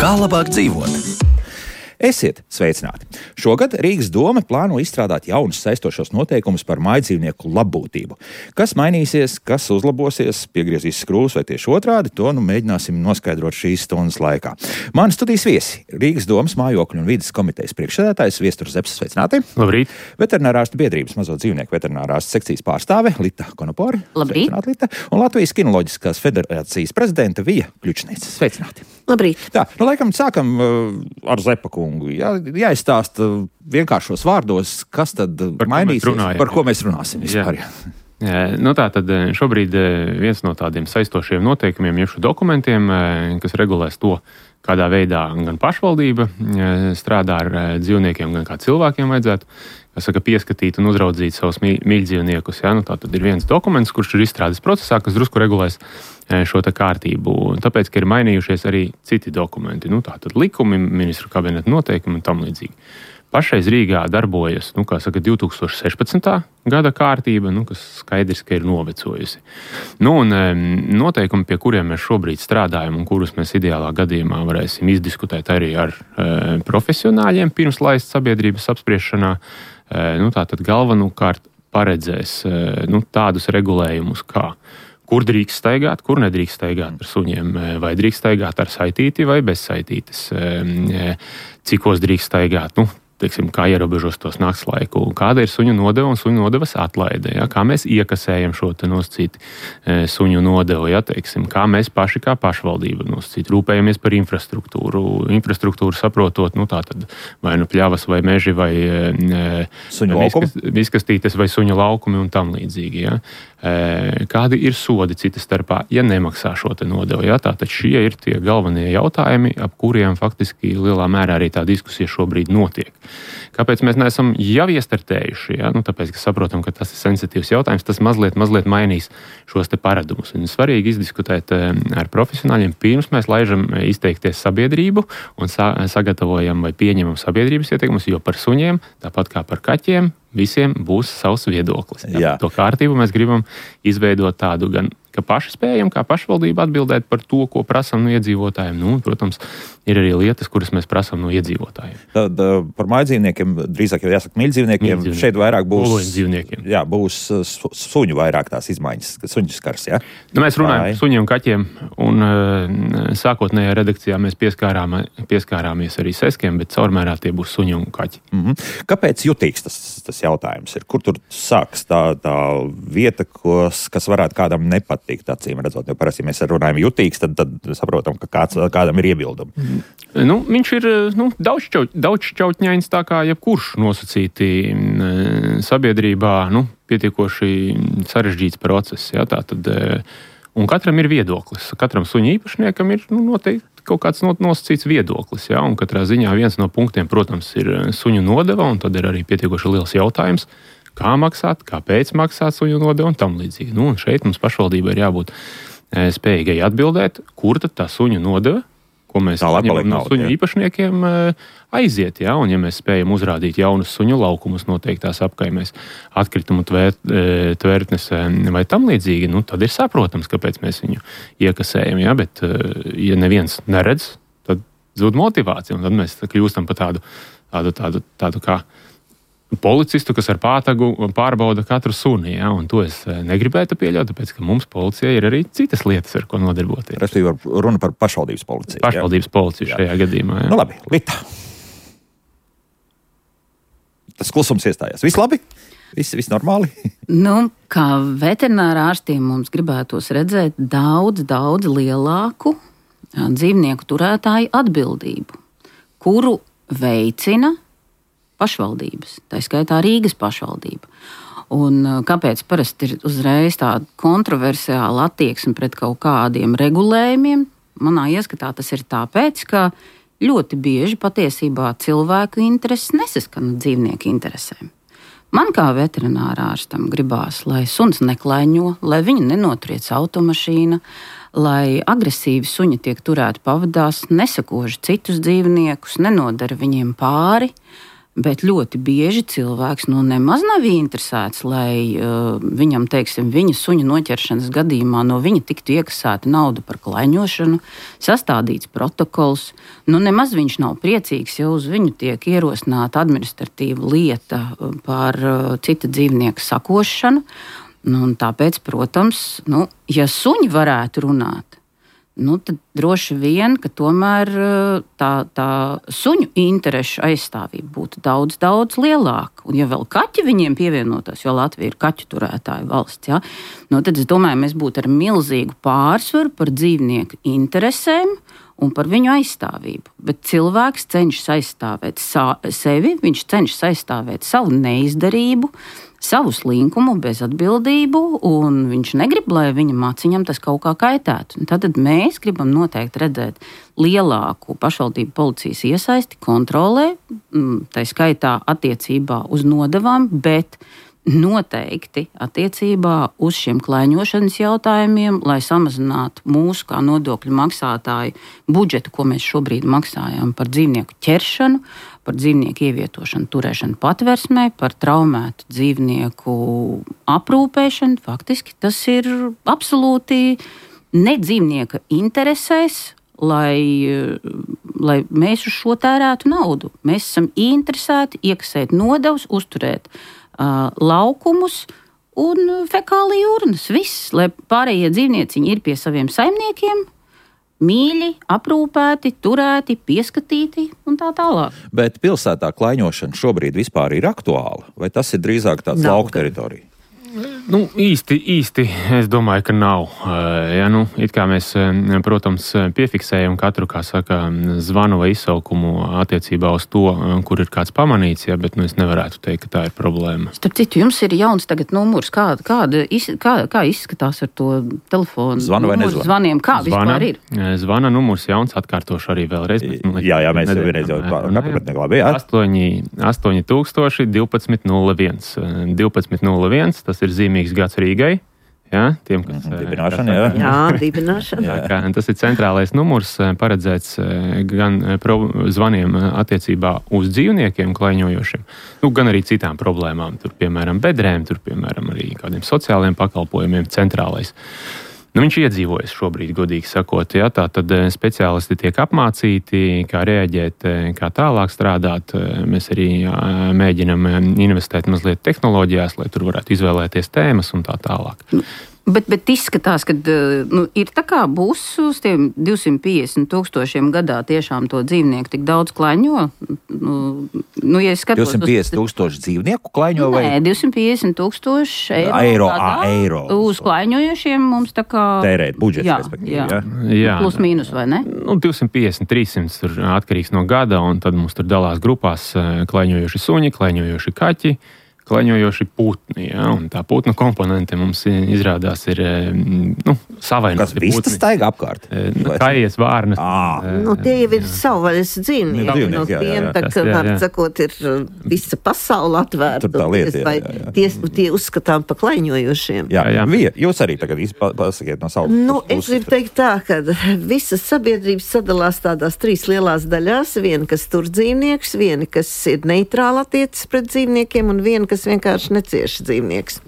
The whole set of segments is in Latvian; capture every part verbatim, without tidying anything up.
Kā labāk dzīvot? Esiet sveicināti! Šogad Rīgas doma plāno izstrādāt jaunus saistošos noteikumus par mājdzīvnieku labbūtību. Kas mainīsies, kas uzlabosies, piegriezīs skrūvus vai tieši otrādi, to nu mēģināsim noskaidrot šīs stundas laikā. Mani studijas viesi - Rīgas domas mājokļu un vides komitejas priekšsēdētājs Viesturs Zepsis, sveicināti! Labrīt! Veterinārārstu biedrības mazo dzīvnieku veterinārārstu sekcijas pārstāve Lita Konopori. Labrīt! Sveicināti, Lita! Un Latvijas kinoloģiskās federācijas prezidenta Vija Kļučniece. Sveicināti! Labrīt! Tā, nu laikam sākam uh, ar Zepa kungu. Jā, jāizstāsta vienkāršos vārdos, kas tad par mainīsies, ko runājam, par ko mēs runāsim vispār. Jā. Jā. Nu tā tad šobrīd viens no tādiem saistošiem noteikumiem, jeb dokumentiem, kas regulēs to, kādā veidā gan pašvaldība strādā ar dzīvniekiem, gan kā cilvēkiem vajadzētu, kas saka, pieskatīt un uzraudzīt savus mīļdzīvniekus. Jā, nu tā tad ir viens dokuments, kurš ir izstrādes procesā, kas drusku regulēs šo te kārtību. Tāpēc, ka ir mainījušies arī citi dokumenti. Nu tā tad likumi, ministru kabineta noteikumi un tam līdzīgi. Pašreiz Rīgā darbojas, nu, kā saka, divi tūkstoši sešpadsmitā gada kārtība, nu, kas skaidrs, ka ir novecojusi. Nu, un noteikumi, pie kuriem mēs šobrīd strādājam un kurus mēs ideālā gadījumā varēsim izdiskutēt arī ar e, profesionāļiem pirms laist sabiedrības apspriešanā, e, nu, tātad galvenokārt paredzēs e, nu, tādus regulējumus kā kur drīkst staigāt, kur nedrīkst staigāt ar suņiem, vai drīkst staigāt ar saitīti vai bez saitītes, cikos drīkst staigāt, nu, teiksim, kā ierobežos tos nakts laiku, kāda ir suņu nodeva un suņu nodevas atlaide, ja? Kā mēs iekasējam šo te nosacīti e, suņu nodevu, ja? Teiksim, kā mēs paši kā pašvaldība nosacīti rūpējamies par infrastruktūru, infrastruktūru saprotot, nu tā tad vai nu pļavas vai meži vai e, suņu laukumi, izkastītes vai suņu laukumi un tam līdzīgi, ja? E, kādi ir sodi cita starpā, ja nemaksā šo te nodevu, ja? Tātad šie ir tie galvenie jautājumi, ap kuriem faktiski lielā mērā arī tā diskusija šobrīd notiek. Kāpēc mēs neesam jau iestartējuši? Ja? Nu, tāpēc, ka saprotam, ka tas ir sensitīvs jautājums, tas mazliet, mazliet mainīs šos te paradumus. Un svarīgi izdiskutēt ar profesionāļiem, pirms mēs laižam izteikties sabiedrību un sa- sagatavojam vai pieņemam sabiedrības ieteikumus, jo par suņiem, tāpat kā par kaķiem, visiem būs savs viedoklis. Ja? Jā. To kārtību mēs gribam izveidot tādu gan, ka paši spējam, kā pašvaldība atbildēt par to, ko prasam no iedzīvotājiem. Nu, protams, ir arī lietas, kuras mēs prasam no iedzīvotājiem. Tad par mājdzīvniekiem, drīzāk jau jāsaka mīļdzīvniekiem, šeit vairāk būs, jā, būs su, suņu vairāk tās izmaiņas, suņu skars, jā? Nu, mēs runājam par suņiem, kaķiem, un uh, sākotnējā redakcijā mēs pieskārām, pieskārāmies arī seskiem, bet caurmērā tie būs suņi un kaķi. Mm-hmm. Kāpēc jutīgs tas, tas jautājums ir? Kur tur sāks tā, tā vieta, kos, kas varētu kādam nepatīk, acīm redzot, jo parasti mēs runājam jutīgs, tad, tad saprotam, ka kāds, kādam ir iebildumi. Mm. Nu, viņš ir nu, daudzšķaut, daudzšķautņains tā kā jebkurš nosacīti sabiedrībā, nu, pietiekoši sarežģīts process. Ja, tā tad, un katram ir viedoklis. Katram suņa īpašniekam ir nu, noteikti kaut kāds nosacīts viedoklis. Ja, un katrā ziņā viens no punktiem, protams, ir suņu nodeva, un tad ir arī pietiekoši liels jautājums, kā maksāt, kāpēc maksāt suņu nodevu un tam līdzīgi. Nu, un šeit mums pašvaldībai ir jābūt spējīgai atbildēt, kur tad tā suņu nodeva, ko mēs ņemam no suņu jā. īpašniekiem, aiziet. Ja? Un ja mēs spējam uzrādīt jaunus suņu laukumus noteiktās apkaimēs, atkritumu tvērt, tvērtnes vai tam līdzīgi, nu, tad ir saprotams, kāpēc mēs viņu iekasējam. Ja? Bet, ja neviens neredz, tad zūd motivācija, un tad mēs kļūstam par tādu, tādu, tādu, tādu kā policistu, kas ar pātagu pārbauda katru suni, ja? Un to es negribētu pieļaut, tāpēc, ka mums policijai ir arī citas lietas, ar ko nodarboties. Respektīvi, runa par pašvaldības policiju. Pašvaldības jā? policiju šajā jā. gadījumā. Jā. Nu labi, Lita. Tas klusums iestājās. Viss labi? Viss, viss normāli? Nu, kā veterinārā ārstiem mums gribētos redzēt daudz, daudz lielāku dzīvnieku turētāju atbildību, kuru veicina pašvaldības, tā skaitā Rīgas pašvaldība. Un kāpēc parasti ir uzreiz tāda kontroversiāla attieksme pret kaut kādiem regulējumiem? Manā ieskatā tas ir tāpēc, ka ļoti bieži patiesībā cilvēku intereses nesaskan dzīvnieku interesēm. Man kā veterinārārstam gribās, lai suns neklaiņo, lai viņu nenotriec automašīna, lai agresīvi suņi tiek turēti pavadās, nesakoži citus dzīvniekus, nenodara viņiem pāri. Bet ļoti bieži cilvēks nu, nemaz nav interesēts, lai uh, viņam, teiksim, viņa suņa noķeršanas gadījumā no viņa tiktu iekasēta nauda par klaiņošanu, sastādīts protokols. Nu, nemaz viņš nav priecīgs, ja uz viņu tiek ierosināta administratīva lieta par uh, cita dzīvnieka sakošanu. Nu, un tāpēc, protams, nu, ja suņi varētu runāt, nu, tad droši vien, ka tomēr tā, tā suņu interešu aizstāvība būtu daudz, daudz lielāka. Un ja vēl kaķi viņiem pievienotos, jo Latvija ir kaķu turētāja valsts, ja, nu, tad es domāju, mēs būtu ar milzīgu pārsvaru par dzīvnieku interesēm un par viņu aizstāvību. Bet cilvēks cenšas aizstāvēt sa- sevi, viņš cenšas aizstāvēt savu neizdarību, savu slinkumu, bezatbildību, un viņš negrib, lai viņa maciņam tas kaut kā kaitētu. Tad mēs gribam noteikti redzēt lielāku pašvaldību policijas iesaisti kontrolē, tā skaitā attiecībā uz nodevām, bet noteikti attiecībā uz šiem klaiņošanas jautājumiem, lai samazinātu mūsu kā nodokļu maksātāju budžetu, ko mēs šobrīd maksājam par dzīvnieku ķeršanu, par dzīvnieku ievietošanu, turēšanu patversmē, par traumētu dzīvnieku aprūpēšanu. Faktiski tas ir absolūti ne dzīvnieka interesēs, lai, lai mēs uz šo tērētu naudu. Mēs esam interesēti iekasēt nodevas, uzturēt uh, laukumus un fekāliju urnas. Viss, lai pārējie dzīvnieciņi ir pie saviem saimniekiem, mīļi, aprūpēti, turēti, pieskatīti un tā tālāk. Bet pilsētā klaiņošana šobrīd vispār ir aktuāla? Vai tas ir drīzāk tāds Nav. lauku teritorija? Nu, īsti, īsti es domāju, ka nav. Ja, nu, it kā mēs, protams, piefiksējam katru, kā saka, zvanu vai izsaukumu attiecībā uz to, kur ir kāds pamanīts, ja, bet nu, es nevarētu teikt, ka tā ir problēma. Starp citu, jums ir jauns tagad numurs. Kā, kāda, kā, kā izskatās ar to telefonu? Zvanu vai numuru nezvanu? Zvaniem? Kā Zvana, vispār ir? Zvana numurs jauns, atkārtošu arī vēlreiz. Bet, nu, Jā, jā, mēs jau vienreiz jau nepapratnē labi, jā. astoņi tūkstoši divpadsmit nulle viens. divpadsmit nulle viens, tas ir zīmīgs gads Rīgai. Jā, tiem, kas, Dibināšana, jā. Jā, dibināšana. Jā, kā, tas ir centrālais numurs, paredzēts gan pro, zvaniem attiecībā uz dzīvniekiem klaiņojošiem, nu, gan arī citām problēmām. Tur, piemēram, bedrēm, tur, piemēram, arī kādiem sociāliem pakalpojumiem centrālais. Nu, viņš iedzīvojas šobrīd, godīgi sakot. Ja, tā tad speciālisti tiek apmācīti, kā reaģēt, kā tālāk strādāt. Mēs arī mēģinam investēt mazliet tehnoloģijās, lai tur varētu izvēlēties tēmas un tā tālāk. Bet, bet izskatās, ka nu, ir tā kā būs uz tiem divsimt piecdesmit tūkstošiem gadā tiešām to dzīvnieku tik daudz klaiņo. Nu, nu, ja skatos, divsimt piecdesmit tūkstoši dzīvnieku klaiņo vai? Nē, divsimt piecdesmit tūkstoši eiro. Eiro, gadā, ā, eiro. Uz klaiņojošiem mums tā kā... Tērēt budžets, jā, respektīvi, jā. jā. Jā. Plus mīnus, vai ne? Nu, divsimt piecdesmit, trīssimt tur atkarīgs no gada, un tad mums tur dalās grupās klaiņojoši suņi, klaiņojoši kaķi, klaiņojoši putni, ja, un tā putnu komponente mums izrādās ir, nu, savainoti. Kas vistas staigā apkārt? Nu, kājies, vārnas. Ā. Nu, tie jau ir savvaļas dzīvnieki. Dzīvnieki, No jā, jā, tiem, jā. tā Tas, kā, jā, var jā. sakot, ir visa pasaule atvērta. Tur tā lieta, jā, Vai jā, jā. Tie, tie uzskatām pa klaiņojošiem. Jā, Jā, jā. Vija, jūs arī tagad izpa- pasakiet no savas Nu, es puses. gribu teikt tā, ka visas sabiedrības sadalās tādās trīs lielās daļās. Viena, kas tur dzīvnieks, viena, kas ir neitrāla attiecas pret dzīvniekiem, un viena, kas vienkārši necieš dzīvnieks.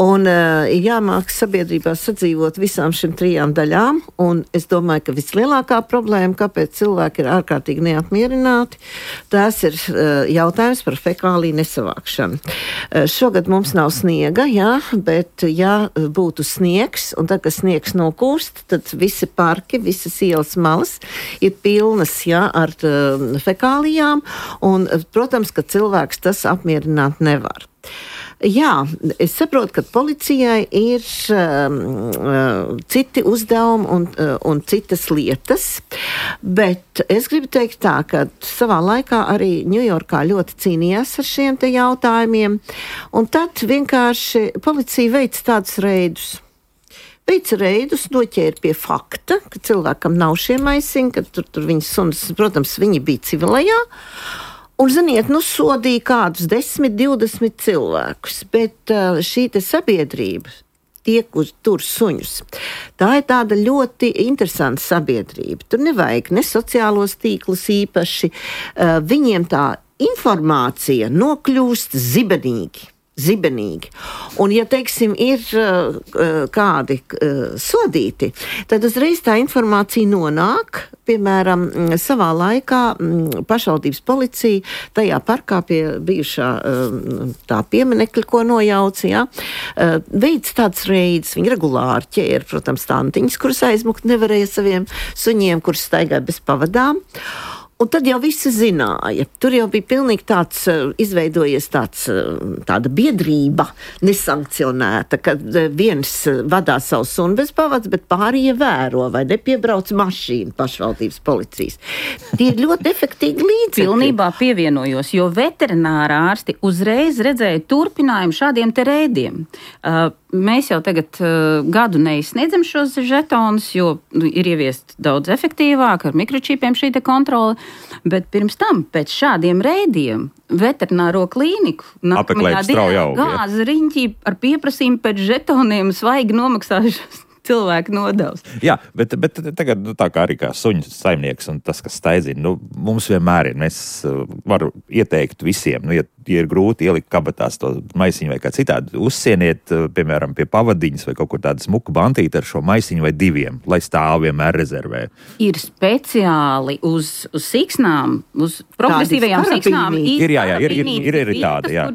Un uh, ir jāmāk sabiedrībā sadzīvot visām šīm trijām daļām, un es domāju, ka vislielākā problēma, kāpēc cilvēki ir ārkārtīgi neapmierināti, tās ir uh, jautājums par fekāliju nesavākšanu. Uh, šogad mums nav sniega, jā, bet ja būtu sniegs, un tad, kad sniegs nokūst, tad visi parki, visas ielas malas ir pilnas, jā, ar uh, fekālijām, un, protams, ka cilvēks tas apmierināt nevar. Jā, es saprotu, ka policijai ir um, uh, citi uzdevumi un, uh, un citas lietas, bet es gribu teikt tā, ka savā laikā arī Ņujorkā ļoti cīnījās ar šiem te jautājumiem, un tad vienkārši policija veic tādus reidus. Veica reidus, noķēra pie fakta, ka cilvēkam nav šie maisiņi, ka tur, tur viņas sunas, protams, viņi bija civilajā. Un, ziniet, nu sodīja kādus desmit, divdesmit cilvēkus, bet šī te sabiedrība, tie, kur tur suņus, tā ir tāda ļoti interesanta sabiedrība. Tur nevajag ne sociālos tīklus īpaši, viņiem tā informācija nokļūst zibenīgi. Zibenīgi. Un, ja, teiksim, ir uh, kādi uh, sodīti, tad uzreiz tā informācija nonāk, piemēram, savā laikā m, pašvaldības policija tajā parkā pie bijušā uh, tā pieminekļa, ko nojauca, ja, uh, veids tāds reids, viņi regulāri ķēra, protams, tantiņas, kuras aizmukt nevarēja saviem suņiem, kuras staigāja bez pavadām. Un tad jau visi zināja. Tur jau bija pilnīgi tāds, izveidojies tāds, tāda biedrība nesankcionēta, kad viens vadā savu sunu bez pavads, bet pārējie vēro vai nepiebrauc mašīnu pašvaldības policijas. Tie ir ļoti efektīgi līdzekļi. Pilnībā pievienojos, jo veterināra ārsti uzreiz redzēja turpinājumu šādiem te reidiem. Uh, Mēs jau tagad uh, gadu neizsniedzam šos žetonus, jo ir ieviest daudz efektīvāk ar mikročipiem šī te kontrole, bet pirms tam, pēc šādiem reidiem, veterināro klīniku nākamajā dienā gāza riņķī ar pieprasījumu pēc žetoniem svaigi nomaksājušas cilvēku nodevs. Jā, bet, bet tagad nu, tā kā arī kā suņu saimnieks un tas, kas staidzina, nu, mums vienmēr ir, mēs uh, varu ieteikt visiem, nu, ja, ja ir grūti ielikt kabatās to maisiņu vai kā citādi, uzsieniet, uh, piemēram, pie pavadiņas vai kaut kur tādu smuku bantīti ar šo maisiņu vai diviem, lai stāv vienmēr rezervē. Ir speciāli uz, uz siksnām, uz progresīvajām siksnām. Ir, jā, jā, ir, ir, ir, ir tāda, jā.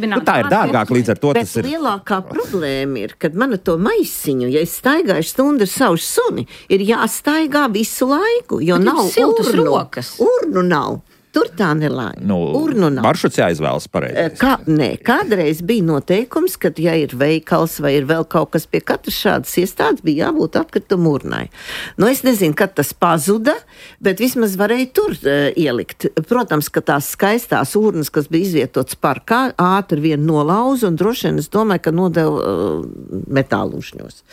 Nu, tā ir dārgāk, līdz ar to bet tas ir. Bet lielākā problēma ir, kad man to maisiņu, ja es staigāju stundu ar savu suni, ir jāstaigā visu laiku, jo bet nav urnu. Rokas. Urnu nav. Tur tā nelaime. Nu, urnu nav. Maršruts jāizvēlas pareizi. Kā, nē, kādreiz bija noteikums, kad, ja ir veikals vai ir vēl kaut kas pie katras šādas iestādes, bija jābūt atkritumu urnai. Nu, es nezinu, kad tas pazuda, bet vismaz varēja tur uh, ielikt. Protams, ka tās skaistās urnas, kas bija izvietotas parkā, ātri vien nolauza un droši vien es domāju, ka nodeva uh, metālušņos.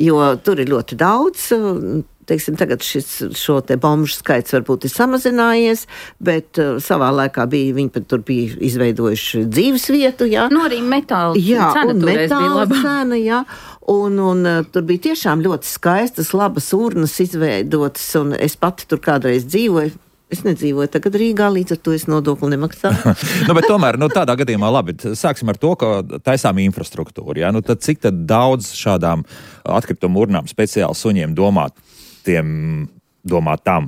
Jo tur ir ļoti daudz. Uh, Teiksim, tagad šis, šo te bomžu skaits varbūt ir samazinājies, bet uh, savā laikā bija, viņi pat tur bija izveidojuši dzīves vietu, jā. Nu, arī metāla jā, cena toreiz bija laba. Cena, jā. Un, un uh, tur bija tiešām ļoti skaistas, labas urnas izveidotas, un es pati tur kādreiz dzīvoju. Es nedzīvoju tagad Rīgā, līdz ar to es nodokli nemaksāju. nu, bet tomēr, nu, tādā gadījumā labi, sāksim ar to, ka taisām infrastruktūru, jā. Nu, tad cik tad daudz šādām atkritumu urnām speciāli suņiem domāt, tiem domātām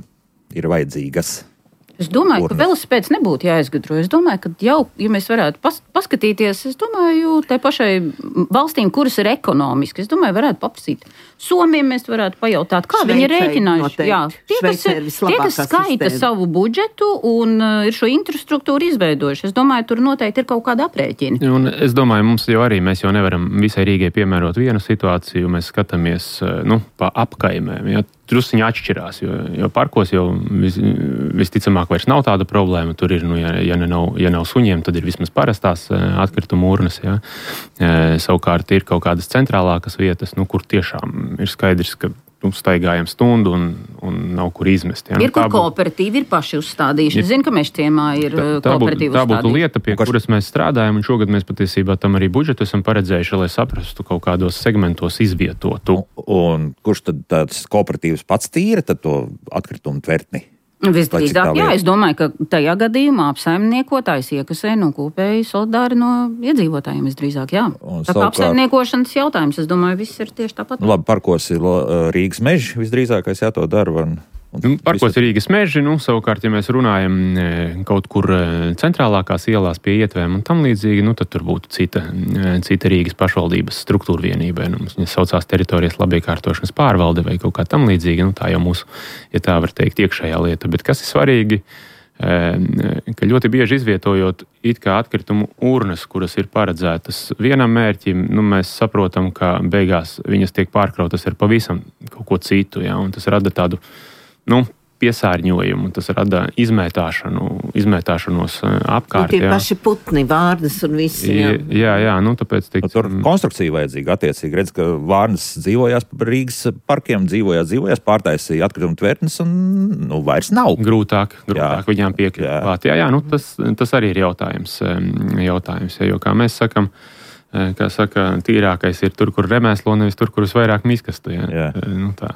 ir vajadzīgas? Es domāju, urnas. Ka velosipēds nebūtu jāizgudro. Es domāju, ka jau, ja mēs varētu pas, paskatīties, es domāju, tai pašai valstīm, kuras ir ekonomiski, es domāju, varētu paprasīt. Somiem mēs varētu pajautāt, kā Šveicē, viņi ir rēķinājuši. Jā, tie, kas, tie, kas skaita sistēma. Savu budžetu un uh, ir šo infrastruktūru izveidojuši, es domāju, tur noteikti ir kaut kāda aprēķina. Un es domāju, mums jau arī, mēs jau nevaram visai Rīgai piemērot vienu situāciju, mēs skatāmies, nu, pa apkaimēm, ja, drusiņi atšķirās, jo, jo parkos jau vis, visticamāk vairs nav tāda problēma, tur ir, nu, ja, ja, nav, ja nav suņiem, tad ir vismaz parastās atkritumu urnas, ja. Savukārt ir kaut kādas centrālākas vietas, nu, kur tiešām ir skaidrs, ka nu, staigājam stundu un, un nav kur izmest. Ja? Ir, Nu, kur būtu, kooperatīvi ir paši uzstādījuši. Es zinu, ka mēs ciemā ir tā, tā, būtu, kooperatīvi tā būtu uzstādījuši. lieta, pie kuras mēs strādājam, un šogad mēs patiesībā tam arī budžetu esam paredzējuši, lai saprastu kaut kādos segmentos izvietotu. Un kurš tad tāds kooperatīvs pats tīra tad to atkritumu tvertni? Visdrīzāk, jā, es domāju, ka tajā gadījumā apsaimniekotājs iekasē no kopēji solidāri no iedzīvotājiem visdrīzāk, jā. Un Tā kā savukārt- apsaimniekošanas jautājums, es domāju, viss ir tieši tāpat. Nu, labi, parkos ir uh, Rīgas meži visdrīzākais, jā, to dara. Un, un Nu, parkos ir Rīgas meži, nu, savukārt, ja mēs runājam e, kaut kur e, centrālākās ielās pie ietvēm un tam līdzīgi, nu, tad tur būtu cita, e, cita Rīgas pašvaldības struktūra vienība. Nu, viņas saucās teritorijas labiekārtošanas pārvalde vai kaut kā tam līdzīga. Nu, tā jau mūsu, ja tā var teikt, iekšējā lieta. Bet kas ir svarīgi, e, ka ļoti bieži izvietojot it kā atkritumu urnas, kuras ir paredzētas vienam mērķim, nu, mēs saprotam, ka beigās viņas tiek pārkrautas ar pavisam kaut ko citu, ja, un tas rada tādu, nu, piesārņojumu, tas rada izmētāšanu, izmētāšanos apkārt. Un tie jā. paši putni, vārnas un visi. Jā, jā, jā nu tāpēc... Tik... Tur konstrukcija vajadzīga attiecīgi. Redz, ka vārnas dzīvojās Rīgas parkiem, dzīvojās, dzīvojās, pārtaisīja atkritumu tvertnes un nu, vairs nav. Grūtāk, grūtāk jā. viņām piekļūt. Jā, jā, nu tas, tas arī ir jautājums, jautājums ja, jo kā mēs sakam, kā saka, tīrākais ir tur, kur remēslo, nevis tur, kur visvairāk miskastu. Jā. Jā. Nu, tā.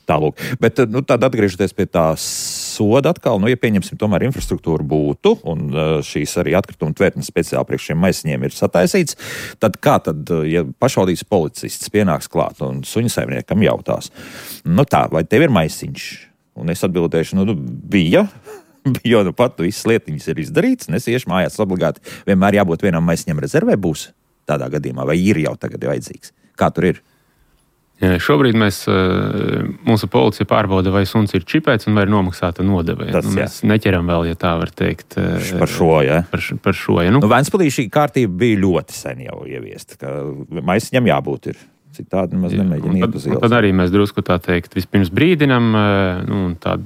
Tālūk. Bet nu, tad atgriežoties pie tā soda atkal, nu, ja pieņemsim tomēr infrastruktūru būtu, un šīs arī atkrituma tvertnes speciāli priekš šiem maisiņiem ir sataisīts, tad kā tad, ja pašvaldības policists pienāks klāt un suņu saimniekam jautās, nu tā, vai tev ir maisiņš? Un es atbildēšu, nu, bija, jo nu pat visas lietiņas ir izdarīts, un es iešu mājās obligāti, vienmēr jābūt vienam maisiņam rezervē būs tādā gadījumā, vai ir jau tagad vajadzīgs? Kā tur ir? Jā, šobrīd mēs, mūsu policija pārbauda, vai suns ir čipēts un vai ir nomaksāta nodeve. Nu, mēs neķeram vēl, ja tā var teikt. Par šo, jā. Par, par šo, jā. Nu, nu, Ventspilī šī kārtība bija ļoti sen jau ieviesta, ka maisiņam jābūt ir. Citādi nemaz nemēģina iet uz ielas. Tad arī mēs drusku tā teikt vispirms brīdinam, nu, un tad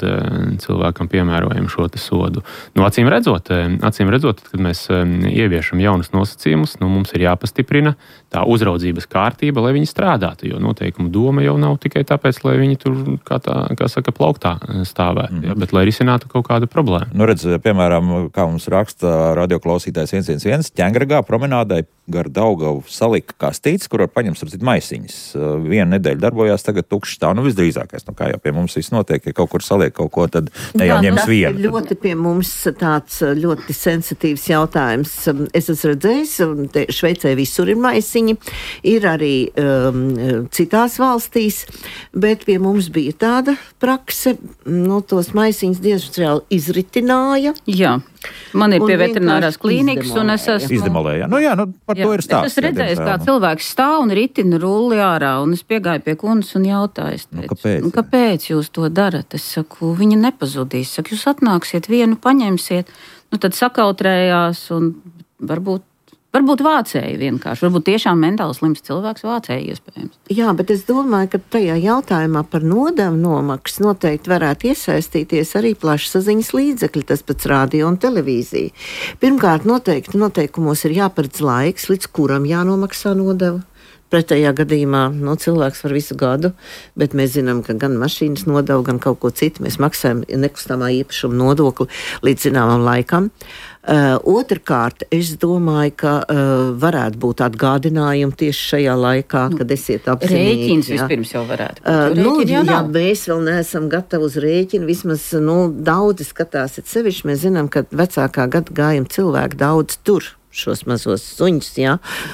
cilvēkam piemērojam šo te sodu. Nu, acīm redzot, acīm redzot, kad mēs ieviešam jaunus nosacījumus, nu, mums ir jāpastiprina tā uzraudzības kārtība, lai viņi strādātu, jo noteikumu doma jau nav tikai tāpēc, lai viņi tur, kā tā, kā saka, plauktā stāvētu, mm-hmm. ja, bet lai risinātu kaut kādu problēmu. Nu, redz, piemēram, kā mums raksta radioklausītājs viens viens viens, Ķengragā promenādai gar Daugavu salika kastītes, kur var paņemt starp maisiņus. Vienu nedēļu darbojās, tagad tukšs stāv, nu visdrīzākais. Nu, kā jau pie mums viss notiek, ja kaut kur saliek kaut ko, tad ne jau ņems vienu. Tas ir ļoti pie mums tāds ļoti sensitīvs jautājums. Es esmu redzējis, te Šveicē visur ir maisiņi, ir arī um, citās valstīs, bet pie mums bija tāda prakse, no tos maisiņus diezgan izritināja. Jā. Man ir pie veterinārās klīnikas, un es esmu... Izdemolēja. Nu jā, nu par jā, to ir stāsts. Es esmu redzējis, kā cilvēks stāv un ritina rulli ārā, un es piegāju pie kundas un jautāju, es teicu, nu, kāpēc? Nu, kāpēc jūs to darat? Es saku, viņa nepazudīs. Saku, jūs atnāksiet vienu, paņemsiet, nu tad sakautrējās, un varbūt Varbūt vācēji vienkārši, varbūt tiešām mentāli slims cilvēks vācēji iespējams. Jā, bet es domāju, ka tajā jautājumā par nodevu nomaksu noteikti varētu iesaistīties arī plašsaziņas līdzekļi, tas pats radio un televīzija. Pirmkārt, noteikti noteikumos ir jāparedz laiks, līdz kuram jānomaksā nodeva. Pretējā gadījumā no, cilvēks var visu gadu, bet mēs zinām, ka gan mašīnas nodevu, gan kaut ko citu mēs maksājam nekustamā īpašuma nodokli līdz zināmam laikam. Uh, otrkārt, es domāju, ka uh, varētu būt atgādinājumi tieši šajā laikā, nu, kad esiet apzinīgi. Rēķins vispirms jau varētu būt. Uh, nu, jā, mēs vēl neesam gatavi uz rēķinu, vismaz nu, daudzi skatās, et sevišķi mēs zinām, ka vecākā gada gājuma cilvēki daudz tur šos mazos suņus, jā,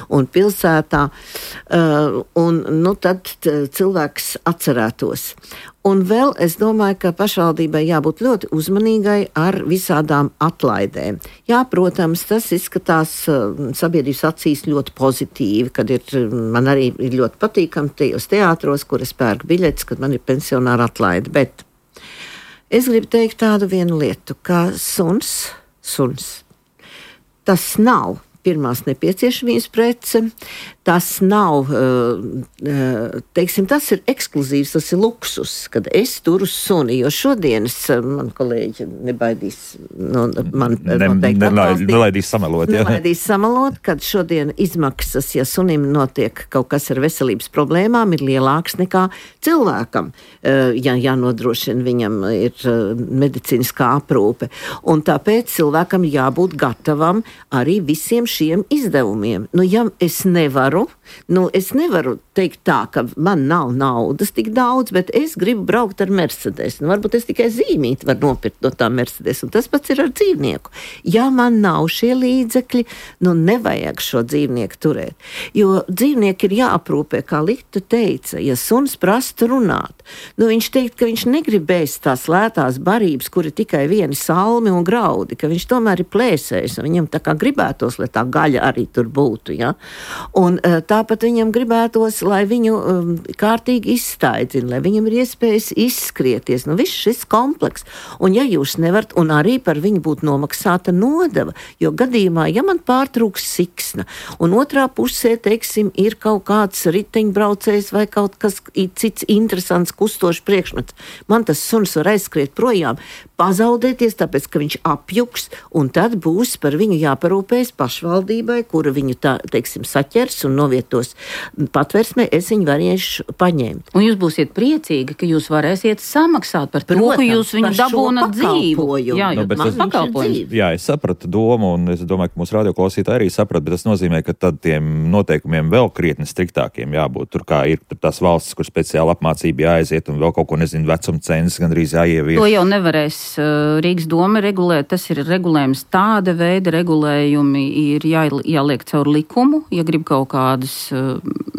un pilsētā, uh, un nu, tad cilvēks atcerētos. Un vēl es domāju, ka pašvaldībai jābūt ļoti uzmanīgai ar visādām atlaidēm. Jā, protams, tas izskatās uh, sabiedrības acīs ļoti pozitīvi, kad ir, man arī ir ļoti patīkami tajos teātros, kur es pērku biļetes, kad man ir pensionāra atlaide, bet es gribu teikt tādu vienu lietu, ka suns, suns, tas nav pirmās nepieciešamības prece, tas nav, teiksim, tas ir ekskluzīvs, tas ir luksus, kad es turu suni, jo šodienas man kolēģi nebaidīs, nu, man noteikti atbalstīt. Nelaidīs samalot, jā. Nelaidīs samalot, kad šodien izmaksas, ja sunim notiek kaut kas ar veselības problēmām, ir lielāks nekā cilvēkam, ja jānodrošina viņam ir medicīniskā aprūpe. Un tāpēc cilvēkam jābūt gatavam arī visiem šiem izdevumiem. Nu, ja es nevaru, nu, es nevaru teikt tā, ka man nav naudas tik daudz, bet es gribu braukt ar Mercedes. Nu, varbūt es tikai zīmīti varu nopirkt no tā Mercedes, un tas pats ir ar dzīvnieku. Ja man nav šie līdzekļi, nu, nevajag šo dzīvnieku turēt. Jo dzīvnieki ir jāaprūpē, kā Lita teica, ja suns prasta runāt, nu, viņš teikt, ka viņš negribēs tās lētās barības, kur ir tikai vieni salmi un graudi, ka viņš tomēr ir plēsējis, un viņam tā kā gribētos, lai tā gaļa arī tur būtu. Ja? Un tāpat viņam gribētos, lai viņu um, kārtīgi izstaidzina, lai viņam ir iespējas izskrieties. Nu, viss šis kompleks. Un ja jūs nevarat, un arī par viņu būtu nomaksāta nodeva, jo gadījumā, ja man pārtrūks siksna, un otrā pusē, teiksim, ir kaut kāds riteņbraucējs vai kaut kas cits interesants kustošs priekšmets, man tas suns var aizskriet projām, pazaudēties, tāpēc, ka viņš apjuks, un tad būs par viņu jāparūpējas pašvaldībai, kura viņu tā, teiksim, saķers un novietos patversmē, es viņu varēšu paņemt. Un jūs būsiet priecīgi, ka jūs varēsiet samaksāt par to, ka jūs viņu dabūnat dzīvu. Jā, nu, tas pakalpojums. Jā, es sapratu domu, un es domāju, ka mūsu radioklausītāji arī saprata, bet tas nozīmē, ka tad tiem noteikumiem vēl krietni striktākiem jābūt. Tur kā ir tur tās valstis, kur speciāli apmācība jāaiziet, un vēl kaut ko, nezinu, vecuma cenas gandrīz jāievieš. To jau nevarēs Rīgas doma regulēt, tas ir regulējums tāda veida regulējumi ir jā, jāliek caur likumu, ja grib kaut kādas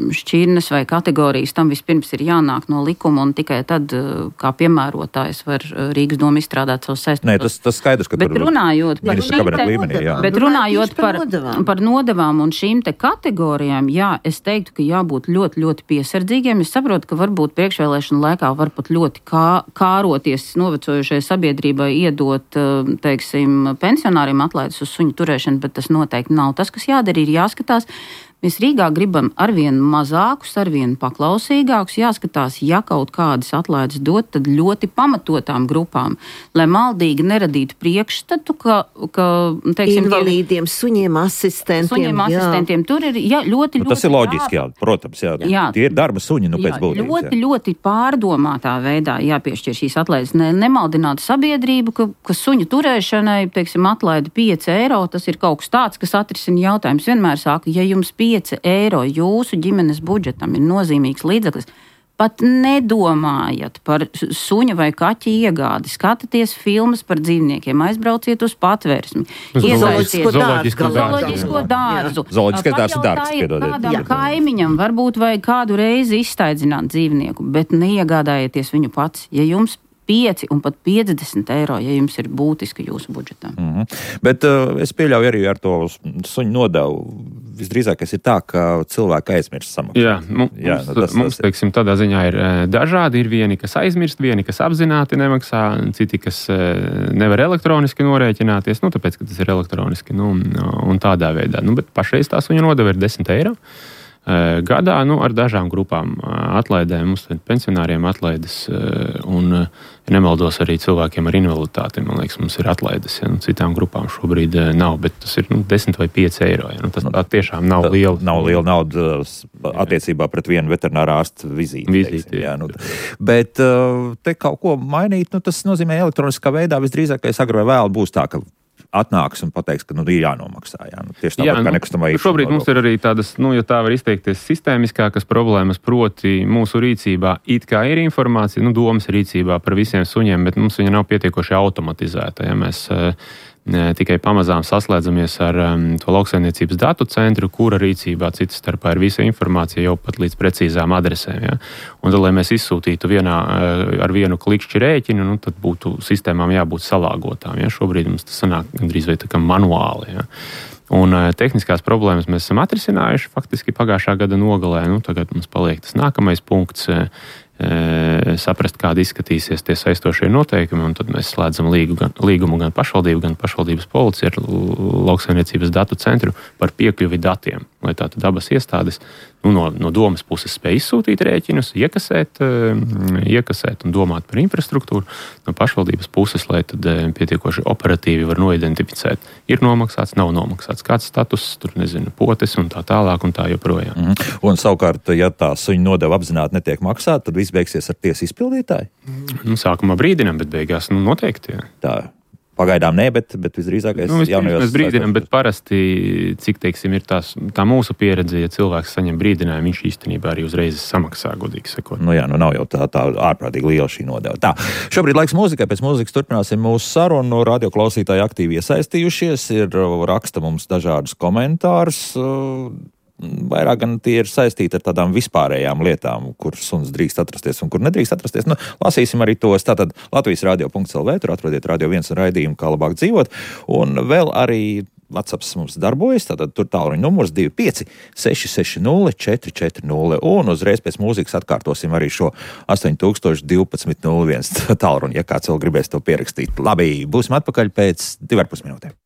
šķirnes vai kategorijas, tam vispirms ir jānāk no likuma, un tikai tad, kā piemērotājs, var Rīgas doma izstrādāt savus saistību. Nē, tas, tas skaidrs, ka bet tur runājot par, te, līmenī, jā. bet runājot par, par nodevām un šīm te kategorijām, jā, es teiktu, ka jābūt ļoti, ļoti piesardzīgiem. Es saprotu, ka varbūt priekšvēlēšana laikā var pat ļoti kā, kāroties novecojušai sabiedrībai iedot, teiksim, pensionāriem atlaides uz suņu turēšanu, bet tas noteikti nav tas, kas jādara, ir jāskatās. Mēs Rīgā gribam arvien mazākus, arvien paklausīgākus, jāskatās, ja kaut kādas atlaides dot, tad ļoti pamatotām grupām, lai maldīgi neradītu priekšstatu, ka, ka teiksim, invalīdiem, suņiem, asistentiem. Suņiem, asistentiem, jā. Tur ir jā, ļoti, nu, tas ļoti ir loģiski, jā, protams, jā. jā. Tie ir darba suņi, nu, jā, pēc būtības. Ļoti, jā. ļoti pārdomātā veidā jāpiešķir šīs atlaides. Ne, nemaldinātu sabiedrību, ka, ka suņu turēšanai, teiksim, atlaida pieci eiro, tas ir kaut kas tāds, kas atrisina jautājums. Vienmēr saka, ja jums pieci eiro jūsu ģimenes budžetam ir nozīmīgs līdzeklis, pat nedomājat par suņa vai kaķa iegādi, skatāties filmas par dzīvniekiem, aizbrauciet uz patvērsmi, iesaisties zooloģisko dārzu. Zooloģiskais dārsts ir dārgs, piedodiet. Kādam kaimiņam varbūt vajag kādu reizi izstaidzināt dzīvnieku, bet neiegādājieties viņu pats, ja jums pieci un pat piecdesmit eiro, ja jums ir būtiski jūsu budžetam. Mm-hmm. Bet uh, es pieļauju arī ar to suņu nodevu. Visdrīzākais ir tā, ka cilvēki aizmirst samaksāt. Jā, mums, Jā nu, tas, mums tas... teiksim, tādā ziņā ir dažādi. Ir vieni, kas aizmirst, vieni, kas apzināti nemaksā, citi, kas nevar elektroniski norēķināties, nu, tāpēc, ka tas ir elektroniski, nu, un tādā veidā. Nu, bet pašreiz tā suņu nodeva ir desmit eiro. Gadā, nu, ar dažām grupām atlaidēm, mums pensionāriem atlaides un, ja nemaldos, arī cilvēkiem ar invaliditāti, man liekas, mums ir atlaides, ja, nu, citām grupām šobrīd nav, bet tas ir, nu, desmit vai pieci eiro, ja, nu, tas tā tiešām nav liela. Nav liela nauda attiecībā pret vienu veterinārā ārsta vizīti. Vizīti, jā, nu, bet te kaut ko mainīt, nu, tas nozīmē elektroniskā veidā, visdrīzākais agri vai vēl būs tā, ka atnāks un pateiks, ka nu, ir jānomaksā. Jā. Nu, tieši tāpat, jā, kā nekustamā īpašuma. Šobrīd mums ir arī tādas, nu, ja tā var izteikties, sistēmiskākas problēmas, proti mūsu rīcībā it kā ir informācija, nu, domas rīcībā par visiem suņiem, bet mums viņa nav pietiekoši automatizēta. Ja mēs tikai pamazām saslēdzamies ar um, to lauksaimniecības datu centru, kura rīcībā citas starpā ir visa informācija jau pat līdz precīzām adresēm. Ja? Un tad, lai mēs izsūtītu vienā, ar vienu klikšķi rēķinu, nu, tad būtu sistēmām jābūt salāgotām. Ja? Šobrīd mums tas sanāk gandrīz vai tā kā manuāli. Ja? Un uh, tehniskās problēmas mēs esam atrisinājuši faktiski pagājušā gada nogalē. Nu, tagad mums paliek tas nākamais punkts. Uh, saprast, kādi izskatīsies tie saistošie noteikumi, un tad mēs slēdzam līgu, gan, līgumu gan pašvaldību, gan pašvaldības policiju ar lauksaimniecības datu centru par piekļuvi datiem, lai tātad abas iestādes nu, no, no domas puses spēj izsūtīt rēķinus, iekasēt, iekasēt un domāt par infrastruktūru, no pašvaldības puses, lai tad pietiekoši operatīvi var noidentificēt, ir nomaksāts, nav nomaksāts, kāds status, tur nezinu, potes un tā tālāk un tā joprojām. Mm-hmm. Un savukārt, ja tā suņu nodeva apzināti netiek maksāt, tad viss beigsies ar tiesu izpildītāju? Nu, sākumā brīdinām, bet beigās nu, noteikti. Jā. Tā. Pagaidām nē, bet, bet visdrīzākais nu, jaunajos... Mēs brīdinām, bet parasti, cik teiksim, ir tās, tā mūsu pieredze, ja cilvēks saņem brīdinājumu, viņš īstenībā arī uzreiz samaksā, godīgi sakot. Nu jā, nu nav jau tā, tā ārprātīgi liela šī nodeva. Tā, šobrīd laiks mūzikai, pēc mūzikas turpināsim mūsu sarunu, radioklausītāji aktīvi iesaistījušies, ir raksta mums dažādus komentārus, vairāk gan tie ir saistīti ar tādām vispārējām lietām, kur suns drīkst atrasties un kur nedrīkst atrasties. Nu, lasīsim arī tos. Tātad Latvijas radio punkts el vē, tur atrodiet Radio viens un raidījumu, kā labāk dzīvot. Un vēl arī WhatsApp mums darbojas, tātad tur tālruņa numurs divi pieci seši seši nulle četri četri nulle, un uzreiz pēc mūzikas atkārtosim arī šo astoņi tūkstoši divpadsmit nulle viens tālruņu, ja kāds vēl gribēs to pierakstīt. Labi, būsim atpakaļ pēc divi ar pus minūtēm.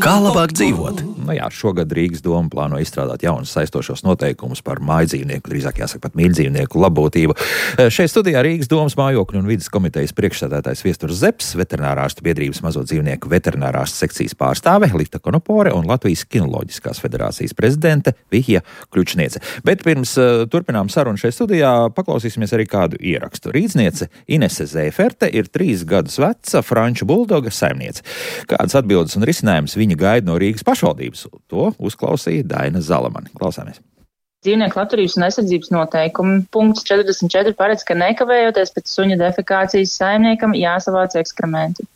Kā labāk dzīvot? Nu jā, šogad Rīgas doma plāno izstrādāt jaunus saistošos noteikumus par mājdzīvnieku, drīzāk jāsaka pat mīļdzīvnieku labbūtību. Šeit studijā Rīgas domas mājokļu un vides komitejas priekšsēdētājs Viesturs Zepes, veterinārārstu biedrības mazo dzīvnieku veterinārārstu sekcijas pārstāve Lita Konopore un Latvijas kinoloģiskās federācijas prezidente Vihja Kļučniece. Bet pirms uh, turpinām sarunu šeit studijā, paklausīsimies arī kādu ierakstu. Rīdzniece Inese Zēferte ir trīs gadus veca franču buldoga saimniece. Kādas atbildes un risinājums viņa gaida no Rīgas pašvaldības? To uzklausīja Daina Zalamani. Klausāmies. Dzīvnieku labturības un aizsardzības noteikumi punkts četrdesmit četri paredz, ka nekavējoties pēc suņa defekācijas saimniekam jāsavāc ekskrementi.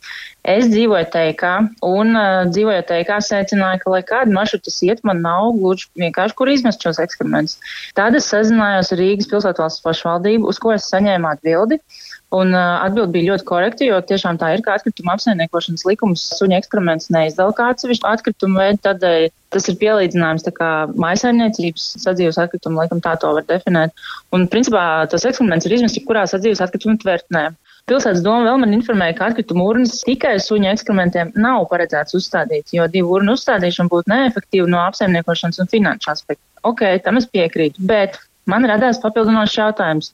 Es dzīvoju teikā un uh, dzīvojot teikā secināju, ka, lai kādu maršrutu iet, man nav gluži vienkārši, kur izmest šos ekskrementus. Tad es sazinājos ar Rīgas pilsētvalsts pašvaldību, uz ko es saņēmu atbildi. Un uh, atbildi bija ļoti korekti, jo tiešām tā ir, ka atkrituma apsaimniekošanas likums suņa ekskrementus neizdala kā atsevišķu atkritumu veidu, tādēļ tas ir pielīdzinājums tā kā mājsaimniecības sadzīves atkrituma likuma, tā to var definēt. Un principā tos ekskrementus ir izmest jebkurā sadzīves atkrituma tvertnē. Pilsētas doma vēl man informēja, ka atkrituma urnas tikai suņa ekskrementiem nav paredzēts uzstādīt, jo divu urnu uzstādīšana būtu neefektīva no apsaimniekošanas un finanšu aspekta. Ok, tam es piekrītu, bet man radās papildinošs jautājums,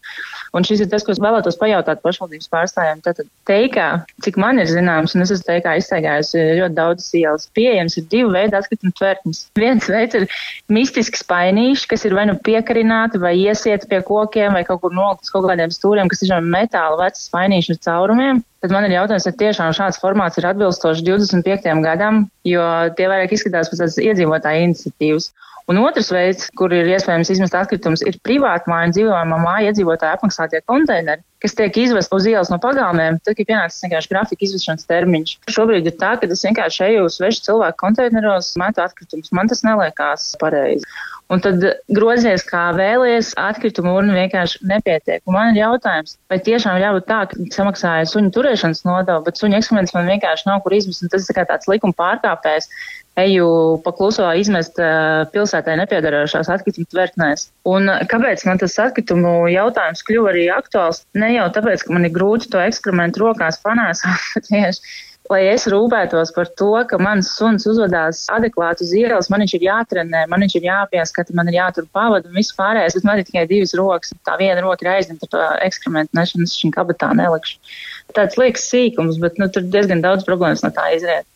un šis ir tas, ko es vēlētos pajautāt pašvaldības pārstāvjiem. Tātad teikā, cik man ir zināms, un es esmu teikā izstaigājusi ļoti daudz ielas, pieejams ir divu veidu atkrituma tvertnes. Viens veids ir mistisks spainīši, kas ir vai nu piekarināti, vai iesieti pie kokiem, vai kaut kur noliktas kaut kādiem stūriem, kas ir metāla vecas spainīši ar caurumiem. Tad man ir jautājums, vai tiešām šāds formāts ir atbilstoši divdesmit piektajam gadam, jo tie vairāk izskatās pēc tādas iedzīvotāju iniciatīvas. Un otrs veids, kur ir iespējams izmest atkritumus, ir privātmāju un dzīvojamā māja iedzīvotāju apmaksātie konteineri, kas tiek izvest uz ielas no pagalmiem, tad ir pienācis vienkārši grafika izvešanas termiņš. Šobrīd ir tā, ka es vienkārši eju uz svešu cilvēku konteineros, metu atkritumus. Man tas neliekās pareizi. Un tad grozies kā vēlies, atkritumu urna vienkārši nepietiek. Un man ir jautājums, vai tiešām jābūt tā, ka samaksāja suņu turēšanas nodevu, bet suņu ekskrementus man vienkārši nav kur izmest, un tas ir kā tāds likuma pārkāpējs. Eju pakluso izmest pilsētai nepiedarošās atkritumu tvertnēs. Un kāpēc man tas atkritumu jautājums kļuva arī aktuāls? Ne jau tāpēc, ka man ir grūti to ekskrementu rokās panēsāt, bet tieši, lai es rūpētos par to, ka mans suns uzvedās adekvāti uz ielas, man viņš ir jātrenē, man viņš ir jāpieskata, man ir jātur pavadu un viss pārējais, bet man ir tikai divas rokas. Tā viena roka ir aizņemta ar to ekskrementu nešanu, es šim kabatā nelikšu. Tāds liekas sīkums, bet nu, tur diezgan daudz problēmas no tā izriet.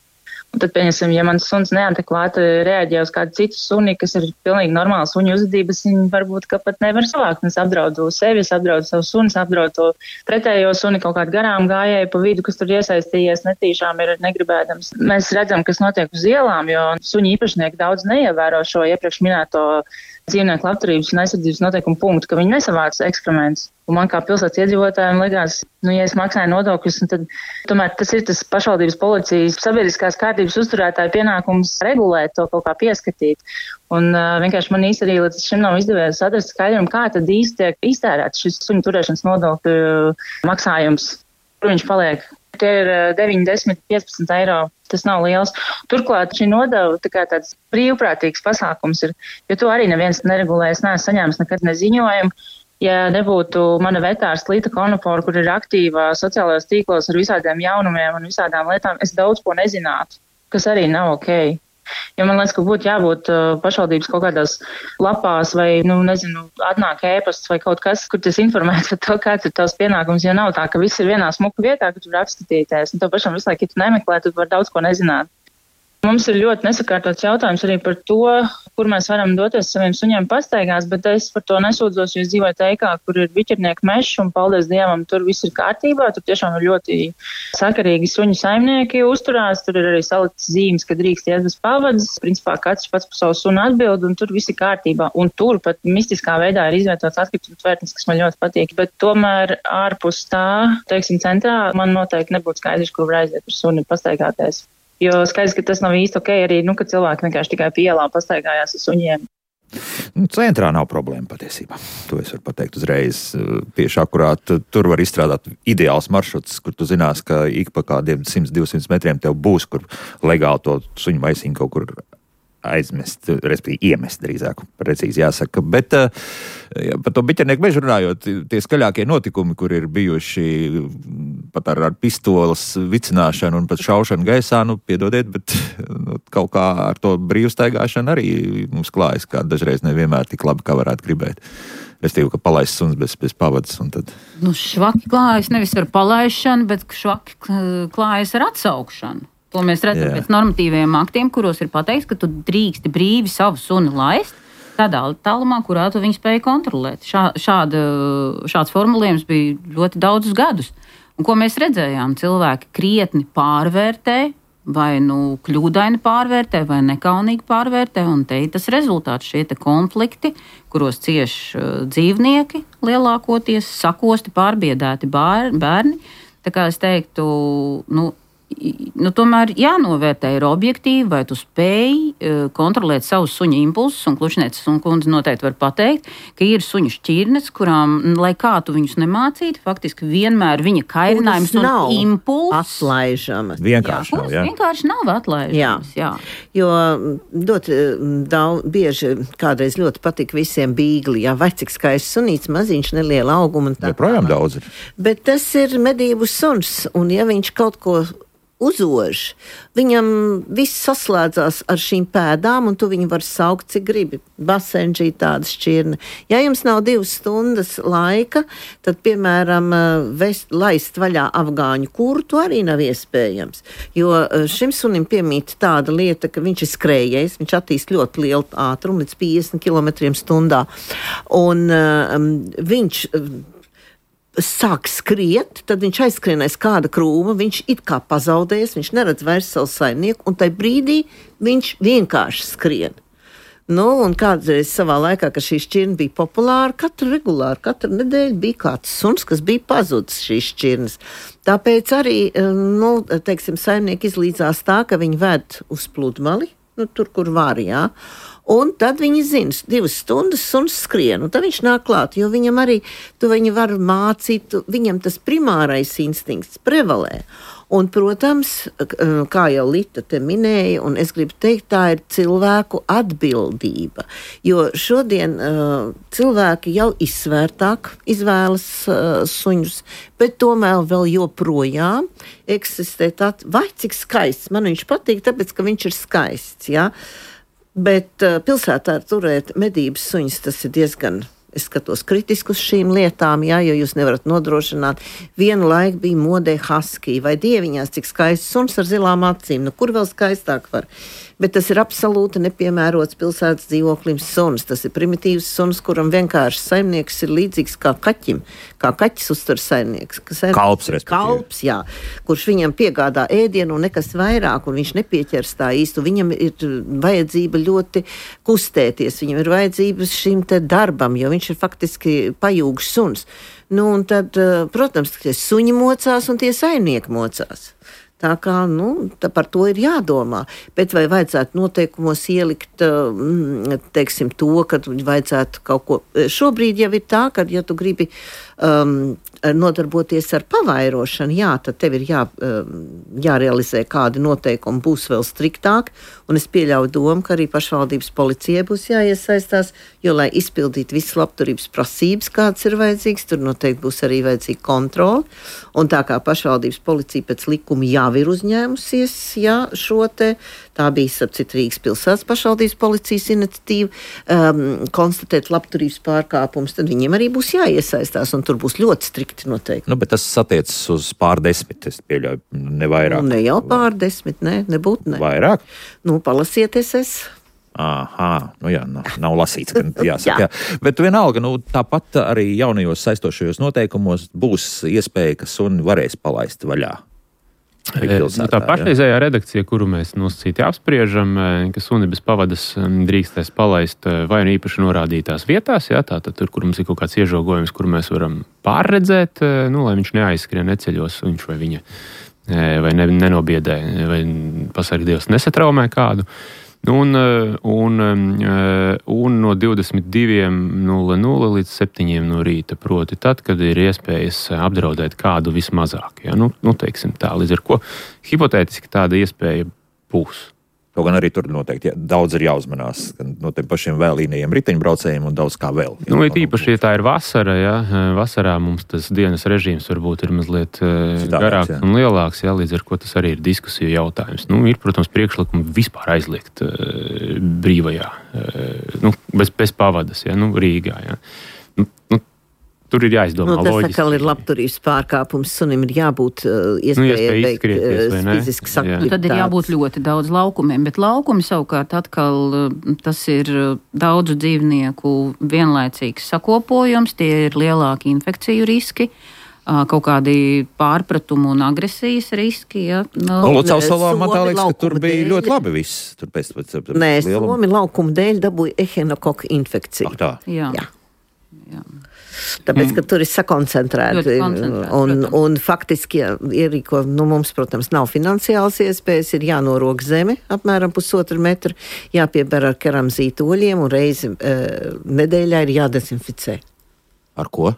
Un tad, pieņemsim, ja mans suns neadekvāti reaģē uz kādu citu suni, kas ir pilnīgi normāla suņu uzvedības, viņi varbūt ka pat nevar savākt. Es apdraudu sevi, es apdraudu savu suni, apdraudu to pretējo suni, kaut kādu garām gājēju pa vidu, kas tur iesaistījies netīšām ir negribēdams. Mēs redzam, kas notiek uz ielām, jo suņu īpašnieki daudz neievēro šo iepriekš minēto dzīvnieku labturības un aizsardzības noteikumu punktu, ka viņi nesavāc ekskrementus. Un man kā pilsētas iedzīvotājiem likās, nu, ja es maksāju nodokļus, tad tomēr tas ir tas pašvaldības policijas sabiedriskās kārtības uzturētāja pienākums regulēt to kaut kā pieskatīt. Un uh, vienkārši man īsti arī līdz šim nav izdevies atrast skaidrumu, kā tad īsti tiek iztērēts šis suņu turēšanas nodokļu maksājums, kur viņš paliek. Tie ir deviņi, desmit, piecpadsmit eiro. Tas nav liels. Turklāt šī nodeva tā kā tāds brīvprātīgs pasākums ir, jo to arī neviens neregulē. Es neesmu saņēmis nekad neziņojumu. Ja nebūtu mana vetārs Lita Konopore, kur ir aktīva sociālajos tīklos ar visādiem jaunumiem un visādām lietām, es daudz ko nezinātu, kas arī nav ok. Jo man liekas, ka būtu jābūt uh, pašvaldības kaut kādās lapās vai, nu, nezinu, atnāk ēpasts vai kaut kas, kur tas informēts par to, kāds ir tavs pienākums, jo nav tā, ka viss ir vienā smuka vietā, ka tu var apskatīties. Un to pašam visu laiku, ja tu nemeklē, tu var daudz ko nezināt. Mums ir ļoti nesakārtots jautājums arī par to, kur mēs varam doties saviem suņiem pastaigās, bet es par to nesūdzos, jo es dzīvoju teikā, kur ir biķernieku mešs un paldies Dievam, tur viss ir kārtībā, tur tiešām ir ļoti sakarīgi suņu saimnieki uzturās, tur ir arī saliktas zīmes, ka drīkst iet bez pavadas, principā katrs pats par savu sunu atbild un tur viss ir kārtībā. Un tur pat mistiskā veidā ir izvietots atkritumu tvertnes, kas man ļoti patīk, bet tomēr ārpus tā, teiksim, centrā man noteikti nebūtu skaidrs, kur var aiziet ar suni pastaigāties. Jo skaidrs, ka tas nav īsti ok arī, nu, ka cilvēki vienkārši tikai pie ielām pastaigājās ar suņiem. Nu, centrā nav problēma patiesībā. To es varu pateikt uzreiz. Tieši akurāt tur var izstrādāt ideāls maršruts, kur tu zinās, ka ik pa kādiem simt divsimt metriem tev būs, kur legāli to suņu maisiņu kaut kur aizmest, respektīvi iemest drīzāk, precīzi jāsaka. Bet ja, par to biķernieku mežu runājot, tie skaļākie notikumi, kur ir bijuši pat ar, ar pistoles vicināšanu un pat šaušanu gaisā, nu, piedodiet, bet nu, kaut kā ar to brīvstaigāšanu arī mums klājas, kā dažreiz nevienmēr tik labi, kā varētu gribēt. Restīvi, ka palaist suns bez, bez pavadas un tad... Nu, švaki klājas nevis ar palaišanu, bet švaki klājas ar atsaukšanu. To mēs redzam yeah. pēc normatīviem aktiem, kuros ir pateikts, ka tu drīksti brīvi savu suni laist tādā tālumā, kurā tu viņu spēji kontrolēt. Šā, šāda, šāds formulējums bija ļoti daudzus gadus. Un ko mēs redzējām? Cilvēki krietni pārvērtē, vai nu kļūdaini pārvērtē, vai nekaunīgi pārvērtē, un te ir tas rezultāts, šie te konflikti, kuros cieš dzīvnieki lielākoties, sakosti, pārbiedēti bērni. Tā kā es teiktu, nu, Nu, tomēr jānovērtē ir objektīvi, vai tu spēj uh, kontrolēt savus suņu impulsus, un Klučnieces un kundze noteikti var pateikt, ka ir suņu šķirnes, kurām, lai kā tu viņus nemācītu, faktiski vienmēr viņa kairinājums un impulss atlaižamas. Vienkārši jā, nav, jā. Vienkārši nav atlaižamas, jā. jā. Jo ļoti daudz, bieži kādreiz ļoti patika visiem bīgli, jā, vai cik skaists sunīts, maziņš, neliela auguma un tā. Joprojām daudz ir. Bet tas ir medību suns, un ja viņš kaut ko uzož, viņam viss saslēdzās ar šīm pēdām, un tu viņu var saukt, cik gribi. Basenģī tāda šķirne. Ja jums nav divas stundas laika, tad, piemēram, vest, laist vaļā afgāņu kurtu arī nav iespējams. Jo šim sunim piemīt tāda lieta, ka viņš ir skrējējis, viņš attīst ļoti lielu ātrumu, līdz piecdesmit kilometriem stundā. Un um, viņš... sāk skriet, tad viņš aizskrienais kāda krūma, viņš it kā pazaudējies, viņš neredz vairs savu saimnieku, un tai brīdī viņš vienkārši skrien. Nu, un kādreiz savā laikā, kad šī šķirne bija populāra, katru regulāri, katru nedēļu bija kāds suns, kas bija pazudis šīs šķirnes. Tāpēc arī, nu, teiksim, saimnieki izlīdzās tā, ka viņi ved uz pludmali, nu, tur, kur var, jā. Un tad viņi zina, divas stundas suns skrien, un tad viņš nāk klāt, jo viņam arī, tu viņu var mācīt, viņam tas primārais instinkts prevalē. Un, protams, kā jau Lita te minēja, un es gribu teikt, tā ir cilvēku atbildība, jo šodien uh, cilvēki jau izsvērtāk izvēlas uh, suņus, bet tomēr vēl joprojām eksistē tā, vai cik skaists, man viņš patīk, tāpēc, ka viņš ir skaists, jā. Bet uh, pilsētā turēt medības suņus, tas ir diezgan, es skatos kritiski uz šīm lietām, jā, jo jūs nevarat nodrošināt. Vienu laiku bija modē husky, vai dieviņās, cik skaists suns ar zilām acīm, nu kur vēl skaistāk var. Bet tas ir absolūti nepiemērots pilsētas dzīvoklim suns. Tas ir primitīvs suns, kuram vienkārši saimnieks ir līdzīgs kā kaķim, kā kaķis uztver saimnieks. saimnieks kalps, respektīvi. Kalps, jā, kurš viņam piegādā ēdienu un nekas vairāk, un viņš nepieķers tā īstu. Viņam ir vajadzība ļoti kustēties, viņam ir vajadzība šim te darbam, jo viņš ir faktiski pajūgs suns. Nu, un tad, protams, tie suņi mocās un tie saimnieki mocās. Tā kā, nu, tā par to ir jādomā. Bet vai vajadzētu noteikumos ielikt, teiksim, to, ka vajadzētu kaut ko... Šobrīd jau ir tā, ka, ja tu gribi um, nodarboties ar pavairošanu, jā, tad tev ir jā, jārealizē kādi noteikumi, būs vēl striktāk, un es pieļauju domu, ka arī pašvaldības policijai būs jāiesaistās, jo, lai izpildītu visas labturības prasības, kāds ir vajadzīgs, tur noteikti būs arī vajadzīga kontrola, un tā kā pašvaldības policija pēc likuma jā ir uzņēmusies, jā, šo te, tā bija sapcīt Rīgas pilsētas pašvaldības policijas iniciatīva, um, konstatēt labturības pārkāpumus, tad viņiem arī būs jāiesaistās, un tur būs ļoti strikti noteikti. Nu, bet tas attiecas uz pār desmit, es pieļauju, ne vairāk. Nu, ne jau pār desmit, ne, nebūtu, ne. Vairāk? Nu, palasieties es. Aha, nu jā, nav, nav lasīts, ka jāsaka. jā. Bet vienalga, nu, tāpat arī jaunajos saistošajos noteikumos būs iespēja, ka suni varēs palaist vaļā. Pilsētā, tā pašreizējā redakcija, kuru mēs nosacīti apspriežam, ka suni bez pavadas drīkstēs palaist vai nu īpaši norādītās vietās, jā, tātad tur, kur mums ir kaut kāds iežogojums, kur mēs varam pārredzēt, nu, lai viņš neaizskrien, neceļos, viņš vai viņa vai ne, nenobiedē, vai pasargi Dievs nesatraumē kādu. Nu, un, un, un no divdesmit diviem nulle nulle līdz septiņiem no rīta, proti tad, kad ir iespējas apdraudēt kādu vismazāk. Ja? Nu, nu, teiksim tā, līdz ar ko hipotētiski tāda iespēja būs. Kaut gan arī tur noteikti ja, daudz ir jāuzmanās no tiem pašiem vēlīnajiem riteņbraucējiem un daudz kā vēl. Nu, ir īpaši, ja tā ir vasara, ja, vasarā mums tas dienas režīms varbūt ir mazliet Citāpēc, garāks jā. un lielāks, ja, līdz ar ko tas arī ir diskusiju jautājums. Nu, ir, protams, priekšlikumi vispār aizliegt uh, brīvajā, uh, nu, bez, bez pavadas, ja, nu, Rīgā. Ja. Nu, nu, Tur ir jāizdomā nu, tas loģiski. Tas atkal ir labturības pārkāpums. Sunim ir jābūt uh, iespējai nu, veikt uh, fiziskas aktivitātes. Tad ir jābūt ļoti daudz laukumiem, bet laukumi savukārt atkal tas ir daudzu dzīvnieku vienlaicīgs sakopojums, tie ir lielāki infekciju riski. Kaut kādi pārpratumu un agresijas riski. Ja? No, Lucavas salā man tā liekas, ka tur bija dēļ. ļoti labi viss. Tur pēc, pēc, pēc Nē, lieluma. Somi laukuma dēļ dabūja ehinokoka infekciju. Ah, tā. Jā. Jā. Jā. Tāpēc, ka tur ir sakoncentrēti. Un, un faktiski, ja ierīko, nu, mums, protams, nav finansiāls iespējas, ir jānorok zeme apmēram pusotru metru, jāpieber ar keramzītu oļiem un reizi e, nedēļā ir jādezinficē. Ar ko?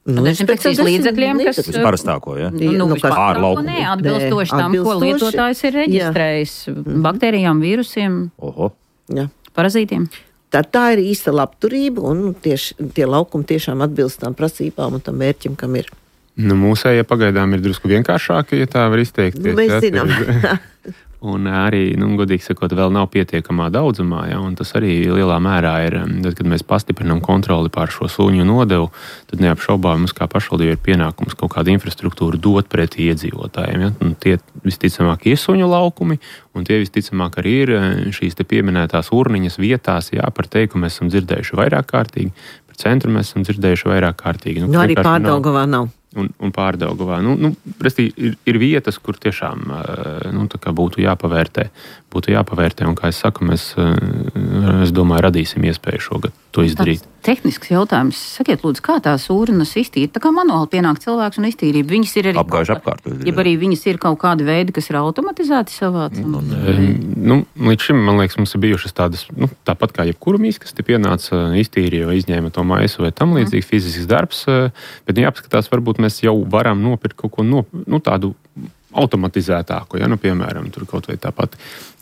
Nu, dezinfekcijas līdzekļiem, kas... Vispārstāko, ja? Nu, nu, vispārstāko, nē, atbilstoši tam, ko lietotājs ir reģistrējis. Jā. Baktērijām, vīrusiem, Oho. Jā. parazītiem. Tad tā ir īsta labturība, un tieši, tie laukumi tiešām atbilst tām prasībām un tam mērķim, kam ir. Nu, mūsējie pagaidām ir drusku vienkāršāki, ja tā var izteikties. Nu, mēs ja, zinām. Un arī, nu, godīgi sakot, vēl nav pietiekamā daudzumā, ja, un tas arī lielā mērā ir, tad, kad mēs pastiprinām kontroli pār šo suņu nodevu, tad neapšaubām mums kā pašvaldībai ir pienākums kaut kādu infrastruktūru dot pretī iedzīvotājiem. Ja. Un tie visticamāk ir suņu laukumi, un tie visticamāk arī ir šīs te pieminētās urniņas vietās, jā, par teikumu mēs esam dzirdējuši vairāk kārtīgi, par centru mēs esam dzirdējuši vairāk kārtīgi. Nu, nu arī Pārdaugavā nav. Un, un Pārdaugavā. Nu, nu, presti, ir, ir vietas, kur tiešām nu, tā kā būtu jāpavērtē. Būtu jāpavērtē, un, kā es saku, mēs, es domāju, radīsim iespēju šogad to izdarīt. Tāds tehnisks jautājums. Sakiet, lūdzu, kā tās urnas iztīra? Tā kā manuāli pienāk cilvēks un iztīrība. Viņas ir arī... Apgājuši apkārt. Ja arī viņas ir kaut kādi veidi, kas ir automatizēti savācam. Nu, līdz šim, man liekas, mums ir bijušas tādas, nu, tāpat kā jebkuru mīs, kas te pienāca, iztīrīja vai izņēma to maisu vai tam līdzīgi fizisks darbs, bet nu, jāapskatās, varbūt mēs jau varam nopirkt kaut ko no, nu, tādu automatizētāku, ja, nu, piemēram, tur kaut vai tāpat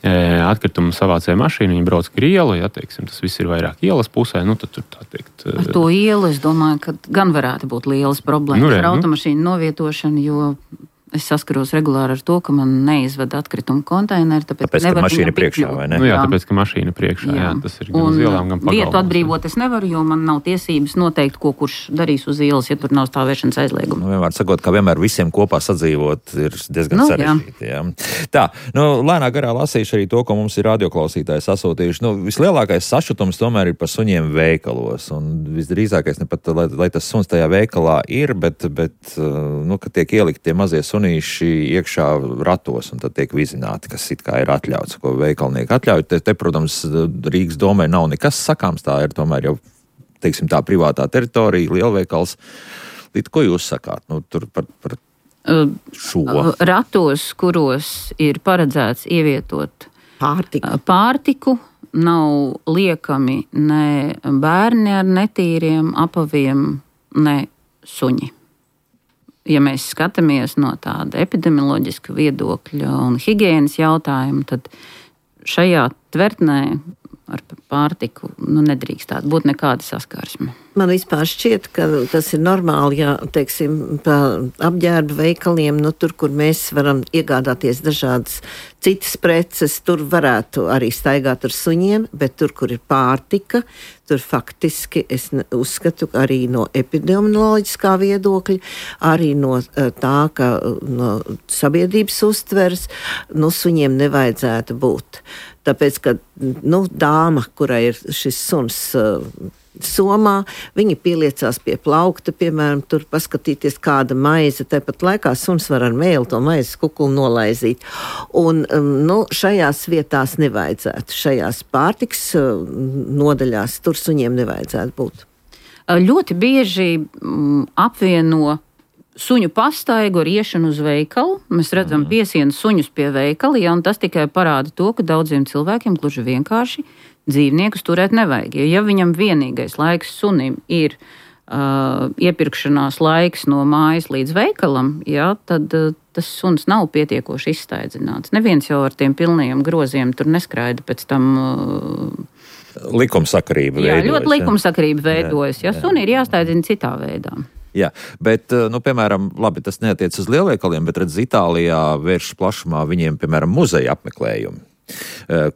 e, atkritumu savācēja mašīnu, viņi brauc ar ielu, ja, teiksim, tas viss ir vairāk ielas pusē, nu, tad tur tā teikt... Ar to ielu, es domāju, ka gan varētu būt lielas problēmas nu, re, ar automašīnu nu. novietošanu, jo es saskaros regulāri ar to, ka man neizved atkritumu konteineri, tāpēc, tāpēc ka mašīna priekšā, vai ne? Nu, jā, tāpēc, ka mašīna priekšā, jā, jā tas ir gan uz ielām, gan pagalmos. Vietu atbrīvot es nevaru, jo man nav tiesības noteikt, ko kurš darīs uz ielas, ja tur nav stāvēšanas aizlieguma. Nu, vienmēr sakot, ka vienmēr visiem kopā sadzīvot ir diezgan nu, sarežģīti. Jā. Jā. Tā, nu, lēnā garā lasīšu arī to, ko mums ir radioklausītāji sasūtījuši. Nu, vislielākais sašutums tomēr ir par suņiem veikalos, un visdrīzākais ne pat, lai, lai tas suns tajā veikalā ir, bet, bet nu, ka tiek ielikt tie mazie sunīši iekšā ratos, un tad tiek vizināti, kas it kā ir atļauts, ko veikalnieki atļauj. Te, te, protams, Rīgas domē nav nekas sakāms, tā ir tomēr jau, teiksim, tā privātā teritorija, lielveikals. Līdz ko jūs sakāt? Nu, tur par, par šo. Ratos, kuros ir paredzēts ievietot pārtiku, pārtiku nav liekami ne bērni ar netīriem apaviem, ne suņi. Ja mēs skatāmies no tāda epidemioloģiska viedokļa un higienas jautājuma, tad šajā tvertnē ar pārtiku nu, nedrīkst tāda būt nekāda saskarsme. Man vispār šķiet, ka tas ir normāli, ja, teiksim, pa apģērba veikaliem, nu, tur, kur mēs varam iegādāties dažādas citas preces, tur varētu arī staigāt ar suņiem, bet tur, kur ir pārtika, tur faktiski es uzskatu arī no epidemioloģiskā viedokļa, arī no tā, ka no sabiedrības uztveres, nu, suņiem nevajadzētu būt. Tāpēc, ka, nu, dāma, kurai ir šis suns uh, somā, viņi pieliecās pie plaukta, piemēram, tur paskatīties kāda maize, tāpat laikā suns var ar mēli to maizes kukulu nolaizīt. Un, um, nu, šajās vietās nevajadzētu, šajās pārtiks uh, nodaļās, tur suņiem nevajadzētu būt. Ļoti bieži mm, apvieno suņu pastaigu ar iešanu uz veikalu. Mēs redzam mm. piesienu suņus pie veikala, ja, un tas tikai parāda to, ka daudziem cilvēkiem gluži vienkārši dzīvniekus turēt nevajag. Jo, ja viņam vienīgais laiks sunim ir uh, iepirkšanās laiks no mājas līdz veikalam, ja, tad uh, tas suns nav pietiekoši izstaidzināts. Neviens jau ar tiem pilnajiem groziem tur neskraida pēc tam. Uh, likumsakarība jā, veidojas. Jā, ļoti likumsakarība veidojas. Ja, suni ir jāstaidzina citā veidā. Jā, bet, nu, piemēram, labi, tas neatiec uz lielveikaliem, bet, redz, Itālijā vērš plašumā viņiem, piemēram, muzeja apmeklējumi,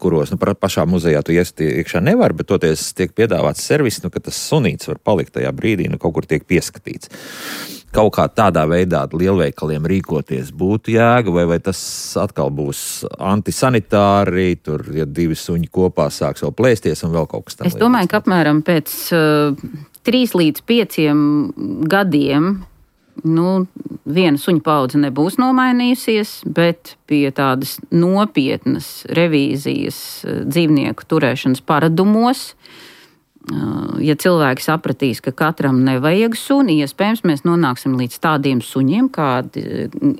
kuros, nu, pašā muzejā tu iest iekšā nevar, bet toties tiek piedāvāts servis, nu, ka tas sunīts var palikt tajā brīdī, nu, kaut kur tiek pieskatīts. Kaut kā tādā veidā lielveikaliem rīkoties būtu jēga, vai, vai tas atkal būs antisanitāri, tur, ja divi suņi kopā sāks vēl plēsties un vēl kaut kas tam. Es domāju, ka apmēram pēc uh, trīs līdz pieciem gadiem nu, viena suņa paudze nebūs nomainījusies, bet pie tādas nopietnas revīzijas dzīvnieku turēšanas paradumos, ja cilvēki sapratīs, ka katram nevajag suni, iespējams, mēs nonāksim līdz tādiem suņiem, kādi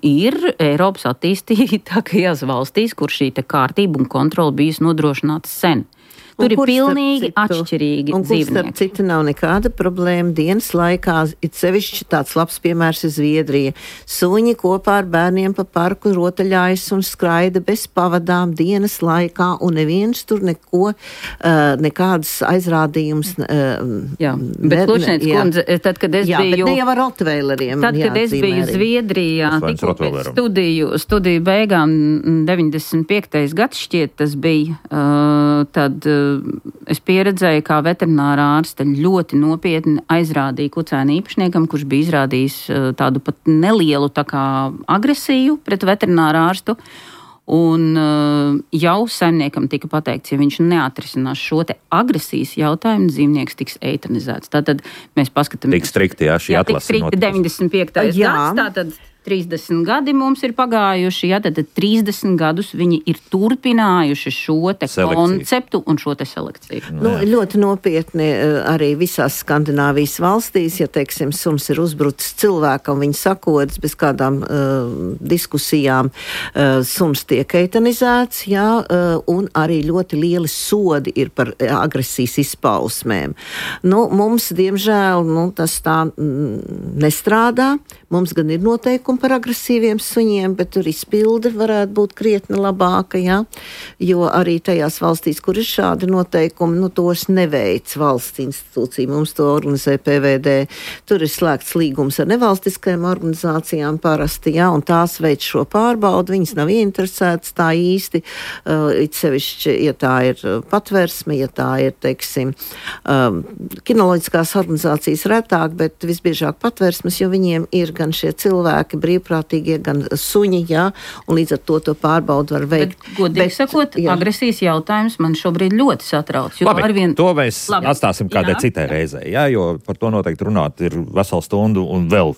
ir Eiropas attīstītākajās valstīs, kur šī te kārtība un kontrola bijis nodrošināta sen. Tur ir pilnīgi citu, atšķirīgi un dzīvnieki. Un starp citu nav nekāda problēma dienas laikā, it sevišķi tāds labs piemērs ir Zviedrija. Suņi kopā ar bērniem pa parku rotaļājas un skraida bez pavadām dienas laikā, un neviens tur neko, uh, nekādas aizrādījums. Uh, jā, bet Klučniec kundze, tad, kad es jā, biju... Jā, bet ne jau ar rotveileriem. Tad, kad es biju Zviedrijā, tikko pēc studiju, studiju beigām deviņdesmit piektais gads šķiet tas bija, uh, tad... Es pieredzēju, kā veterinārā ārste ļoti nopietni aizrādīja kucēnu īpašniekam, kurš bija izrādījis tādu pat nelielu tā kā agresiju pret veterinārā ārstu. Un jau saimniekam tika pateikts, ja viņš neatrisinās šo te agresijas jautājumu, dzīvnieks tiks eitanizēts. Tātad mēs paskatāmies. Tik strikti, jā, šī atlase. Tik strikti deviņdesmit piektais gads, tātad trīsdesmit gadi mums ir pagājuši, ja, tad trīsdesmit gadus viņi ir turpinājuši šo te selekciju. Konceptu un šo te selekciju. Nu, ļoti nopietni arī visās Skandināvijas valstīs, ja, teiksim, suns ir uzbrucis cilvēkam, viņi sakodas bez kādām uh, diskusijām, uh, suns tiek eitanizēts, jā, uh, un arī ļoti lieli sodi ir par agresijas izpausmēm. Nu, mums, diemžēl, nu, tas tā mm, nestrādā. Mums gan ir noteikumi par agresīviem suņiem, bet tur izpilde varētu būt krietni labāka, ja? Jo arī tajās valstīs, kur ir šādi noteikumi, nu tos neveic valsts institūcija. Mums to organizē P V D. Tur ir slēgts līgums ar nevalstiskajām organizācijām parasti, ja? Un tās veic šo pārbaudu. Viņas nav ieinteresētas tā īsti, uh, it sevišķi, ja tā ir patversme, ja tā ir, teiksim, um, kinoloģiskās organizācijas retāk, bet visbiežāk patversmes, jo viņiem ir gan šie cilvēki brīvprātīgie, gan suņi, jā, un līdz ar to to pārbaudu var veikt. Bet, godīgi bet, sakot, jā. Agresijas jautājums man šobrīd ļoti satrauc. Labi, arvien... to mēs Labi. atstāsim kādai jā. citai reizei, jā, jo par to noteikti runāt ir veselu stundu un vēl,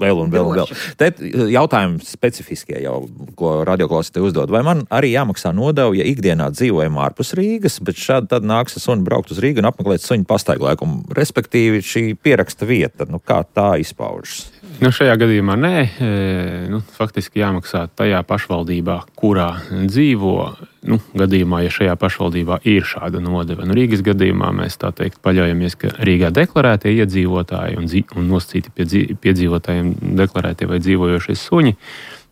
vēl un vēl un vēl. Te jautājumi specifiskie jau, ko radioklausītāji uzdod. Vai man arī jāmaksā nodevu, ja ikdienā dzīvojam ārpus Rīgas, bet šādi tad nāks suni braukt uz Rīgu un apmeklēt suņu pastaigu laikumu, respektīvi šī pieraksta vieta, nu kā tā izpaužas? Nu, šajā gadījumā nē, e, nu, faktiski jāmaksā tajā pašvaldībā, kurā dzīvo, nu, gadījumā, ja šajā pašvaldībā ir šāda nodeva. Nu, Rīgas gadījumā mēs tā teikt paļaujamies, ka Rīgā deklarētie iedzīvotāji un, dzīv, un nosacīti pie, dzīv, pie dzīvotājiem deklarētie vai dzīvojošie suņi,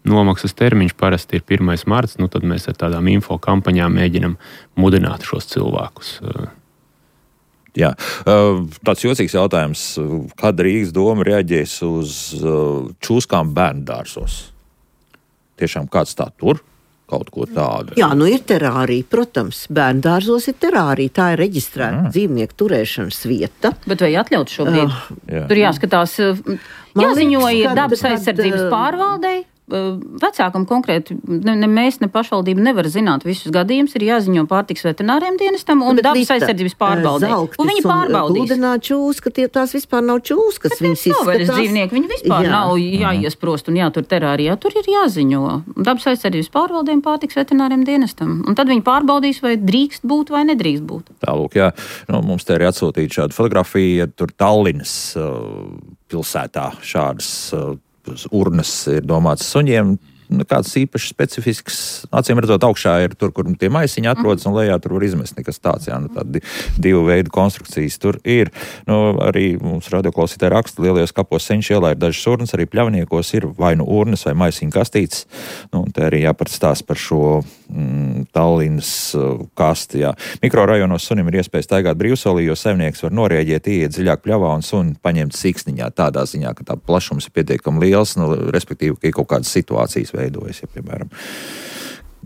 nomaksas termiņš parasti ir pirmais marts, nu, tad mēs ar tādām info kampaņām mēģinam mudināt šos cilvēkus. Jā, tāds jocīgs jautājums, kad Rīgas doma reaģēs uz čūskām bērndārzos? Tiešām kāds tā tur? Kaut ko tādu. Jā, nu ir terārija, protams, bērndārzos ir terārija, tā ir reģistrēta mm. dzīvnieku turēšanas vieta. Bet vai atļaut šobrīd? Uh, jā. Tur jāskatās, jāziņo ir dabas aizsardzības pārvaldei. Vecākam konkrēti, ne, ne mēs, ne pašvaldība nevar zināt visus gadījumus, ir jāziņo pārtiks veterināriem dienestam un dabas aizsardzības pārbaudē. Un viņi pārbaudīs. Gludināt čūska, tie tās vispār nav čūskas. Bet viņas izskatās. Dzīvnieki, viņi vispār jā. nav jāiesprost un jātur terārijā. Tur ir jāziņo dabas aizsardzības pārbaudēm pārtiks veterināriem dienestam. Un tad viņi pārbaudīs, vai drīkst būt vai nedrīkst būt. Tālūk, jā. Nu, mums te ir atsūtīta šāda fotografija, tur Tallinas uh, pilsētā šādas uh, urnas ir domāts suņiem. Kāds īpaši specifisks, acīm redzot, augšā ir tur, kur tie maisiņi atrodas, un lejā tur var izmest nekas tāds. Jā, nu, tādi divu veidu konstrukcijas tur ir. Nu, arī mums radioklausītāji raksta, lielajos kapos Seņš ielā ir dažas urnas, arī pļavniekos ir vai nu urnas vai maisiņu kastītes. Nu, un te arī jāpatstāst par šo mm, Tallinas uh, kasti. Jā. Mikrorajonos sunim ir iespēja staigāt brīvsolī, jo saimnieks var norēģēt, ieiet dziļāk pļavā un suni paņemt siksniņā tādā ziņā, ka tā plašums ir pietiekami liels, nu, respektīvi, ka ir kaut kādas situācijas veidojas, ja, piemēram.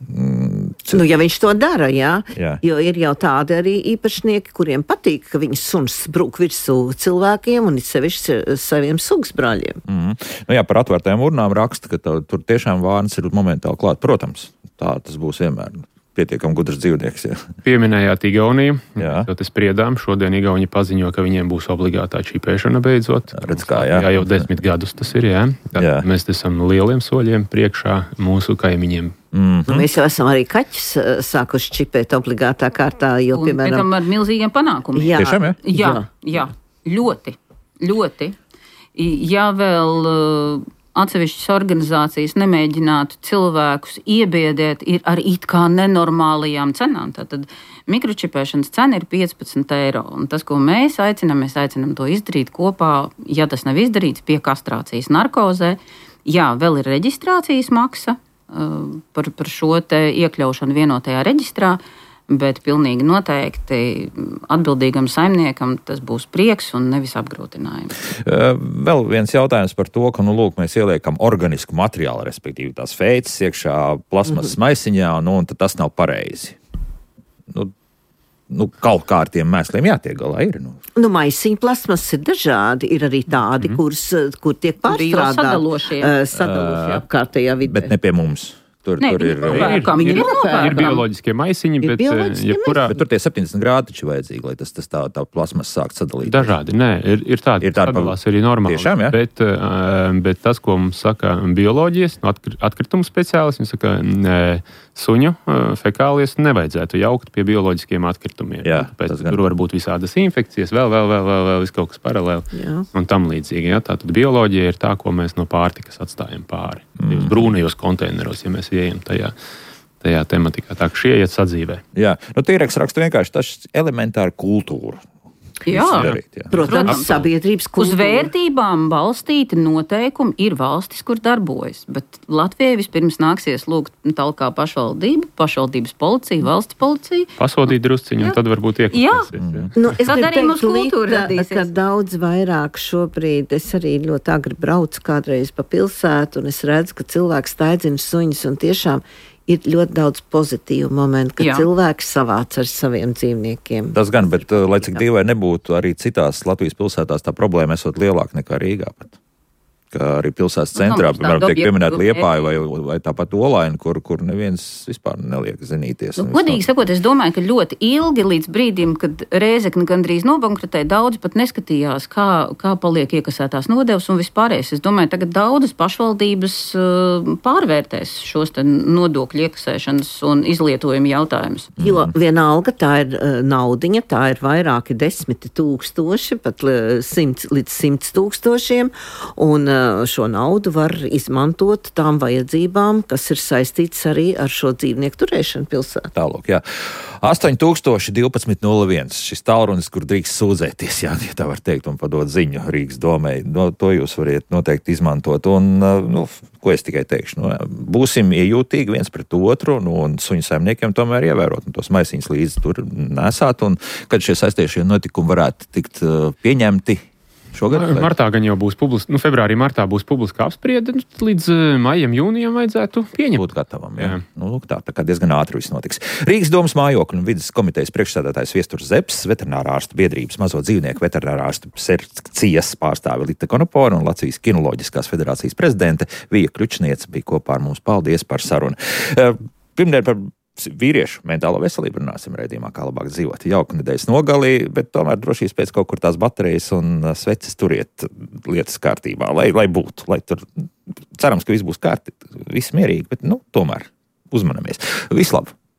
Mm, nu, ja viņš to dara, jā, jā. Jo ir jau tādi arī īpašnieki, kuriem patīk, ka viņas suns brūk virsū cilvēkiem un it sevišķi saviem sugsbrāļiem. Mm. Nu jā, par atvērtajām urnām raksta, ka tā, tur tiešām vārns ir momentāli klāt. Protams, tā tas būs vienmēr. Pietiekami gudrs dzīvnieks. Jā. Pieminējāt Igauniju. Jā. Tad es spriedām. Šodien Igauni paziņo, ka viņiem būs obligātā čipēšana beidzot. Redz kā, jā. Jā, jau desmit gadus tas ir, jā. jā. Mēs esam lieliem soļiem priekšā mūsu kaimiņiem. Mm-hmm. Mēs jau esam arī kaķus sākuši čipēt obligātā kārtā, jo, un, piemēram... Un ar milzīgiem panākumiem. Jā. Tiešām, jā? Jā, jā, ļoti, ļoti. Ja vēl... atsevišķas organizācijas nemēģinātu cilvēkus iebiedēt ir ar it kā nenormālajām cenām. Tātad mikročipēšanas cena ir piecpadsmit eiro. Un tas, ko mēs aicinām, mēs aicinām to izdarīt kopā, ja tas nav izdarīts, pie kastrācijas narkozē. Jā, vēl ir reģistrācijas maksa uh, par, par šo te iekļaušanu vienotajā reģistrā, bet pilnīgi noteikti atbildīgam saimniekam tas būs prieks un nevis apgrūtinājums. Vēl viens jautājums par to, ka, nu, lūk, mēs ieliekam organisku materiālu, respektīvi tās feices iekšā plasmasas mm-hmm. maisiņā, nu, un tas nav pareizi. Nu, nu, kaut kā ar tiem mēsliem jātiek galā ir. Nu, nu maisiņu plasmas ir dažādi. Ir arī tādi, mm-hmm. kurs, kur tiek pārstrādāti sadalošie. Uh, sadalošie apkārtējā vidē. Bet ne pie mums. Tur, ne, tur ir, ir, ir, ir, ir bioloģiskie maisiņi, ir bet, jebkurā... bet tur tie septiņdesmit grādi taču vajadzīgi, lai tas, tas tā, tā plasmas sākt sadalīt. Dažādi, nē, ir, ir tādi, ir tādi sadalās arī normāli. Tiešām, jā? Bet, bet tas, ko mums saka bioloģijas, atkritumu speciālisti, viņi saka, suņu fekālijas nevajadzētu jaukt pie bioloģiskiem atkritumiem. Jā, Pēc, tur var būt visādas infekcijas, vēl, vēl, vēl, vēl, vēl, vēl kaut kas paralēli jā. Un tam līdzīgi. Jā. Tātad bioloģija ir tā, ko mēs no pārtikas atstājam pāri. Mm. Brūnajos konteineros, ja mēs ieejam tajā, tajā tematikā. Tā, ka šie iet sadzīvē. Jā, nu tīreks raksta vienkārši tas elementāri kultūra. Jā, darīt, jā. Protams, Protams, sabiedrības kultūra. Uz vērtībām balstīti noteikumi ir valstis, kur darbojas, bet Latvijai vispirms nāksies lūgt talkā pašvaldību, pašvaldības policija, valsts policija. Pasodīt drusciņu, un tad varbūt iekļūsies. Jā. Nu, es tad arī mums teikt, kultūra radīsies. Ka daudz vairāk šobrīd, es arī ļoti agri braucu kādreiz pa pilsētu, un es redzu, ka cilvēks staidzina suņus, un tiešām ir ļoti daudz pozitīvu momentu, ka Jā. cilvēks savāc ar saviem dzīvniekiem. Tas gan, bet lai cik dīvai nebūtu, arī citās Latvijas pilsētās tā problēma esot lielāka nekā Rīgā pat. Kā arī pilsētas centrā, nu, piemēram, tiek pieminēta Liepāja vai, vai tāpat Olaina, kur, kur neviens vispār neliek zinīties. Nu, godīgi sakot, es domāju, ka ļoti ilgi līdz brīdim, kad Rēzekne gandrīz nobankrotēja, daudz pat neskatījās, kā, kā paliek iekasētās nodevas un vispārējais. Es domāju, tagad daudzas pašvaldības uh, pārvērtēs šos te nodokļu iekasēšanas un izlietojumu jautājumus. Jo vienalga tā ir uh, naudiņa, tā ir vairāki desmiti tūkstoši, pat uh, simts līdz simts tūkstošiem, un uh, šo naudu var izmantot tām vajadzībām, kas ir saistīts arī ar šo dzīvnieku turēšanu pilsētā. Tālūk, jā. astoņi tūkstoši divpadsmit nulle viens. Šis tālrunis, kur drīkst sūdzēties, jā, ja tā var teikt, un padot ziņu Rīgas domai. No, to jūs variet noteikti izmantot. Un, nu, ko es tikai teikšu? Nu, būsim iejūtīgi viens pret otru, nu, un suņu saimniekiem tomēr ievērot, un tos maisiņus līdzi tur nesāt, un kad šie saistīšie notikumi varētu tikt uh, pieņemti. Šogad, martā gan jau būs publiska, nu, februārī, martā būs publiska apspriede, nu, līdz maijam, jūnijam vajadzētu pieņemt. Būt gatavam, jā. jā. Nu, tā, tā kā diezgan ātri viss notiks. Rīgas domas mājokļu un vides komitejas priekšsēdētājs Viesturs Zepes, veterinārā ārstu biedrības mazo dzīvnieku veterinārā ārstu sekcijas pārstāve Lita Konopora un Latvijas kinoloģiskās federācijas prezidente Vija Kļučniece bija kopā ar mums. Paldies par sarunu. Pirmdien par vīriešu mentālo veselību runāsim raidījumā, kā labāk dzīvot. Jauka nedēļas nogalī, bet tomēr drošības pēc kaut kur tās baterijas un sveces turiet lietas kārtībā, lai, lai būtu, lai tur cerams, ka viss būs kārtīgi, viss mierīgi, bet, nu, tomēr uzmanamies. Vislabāk!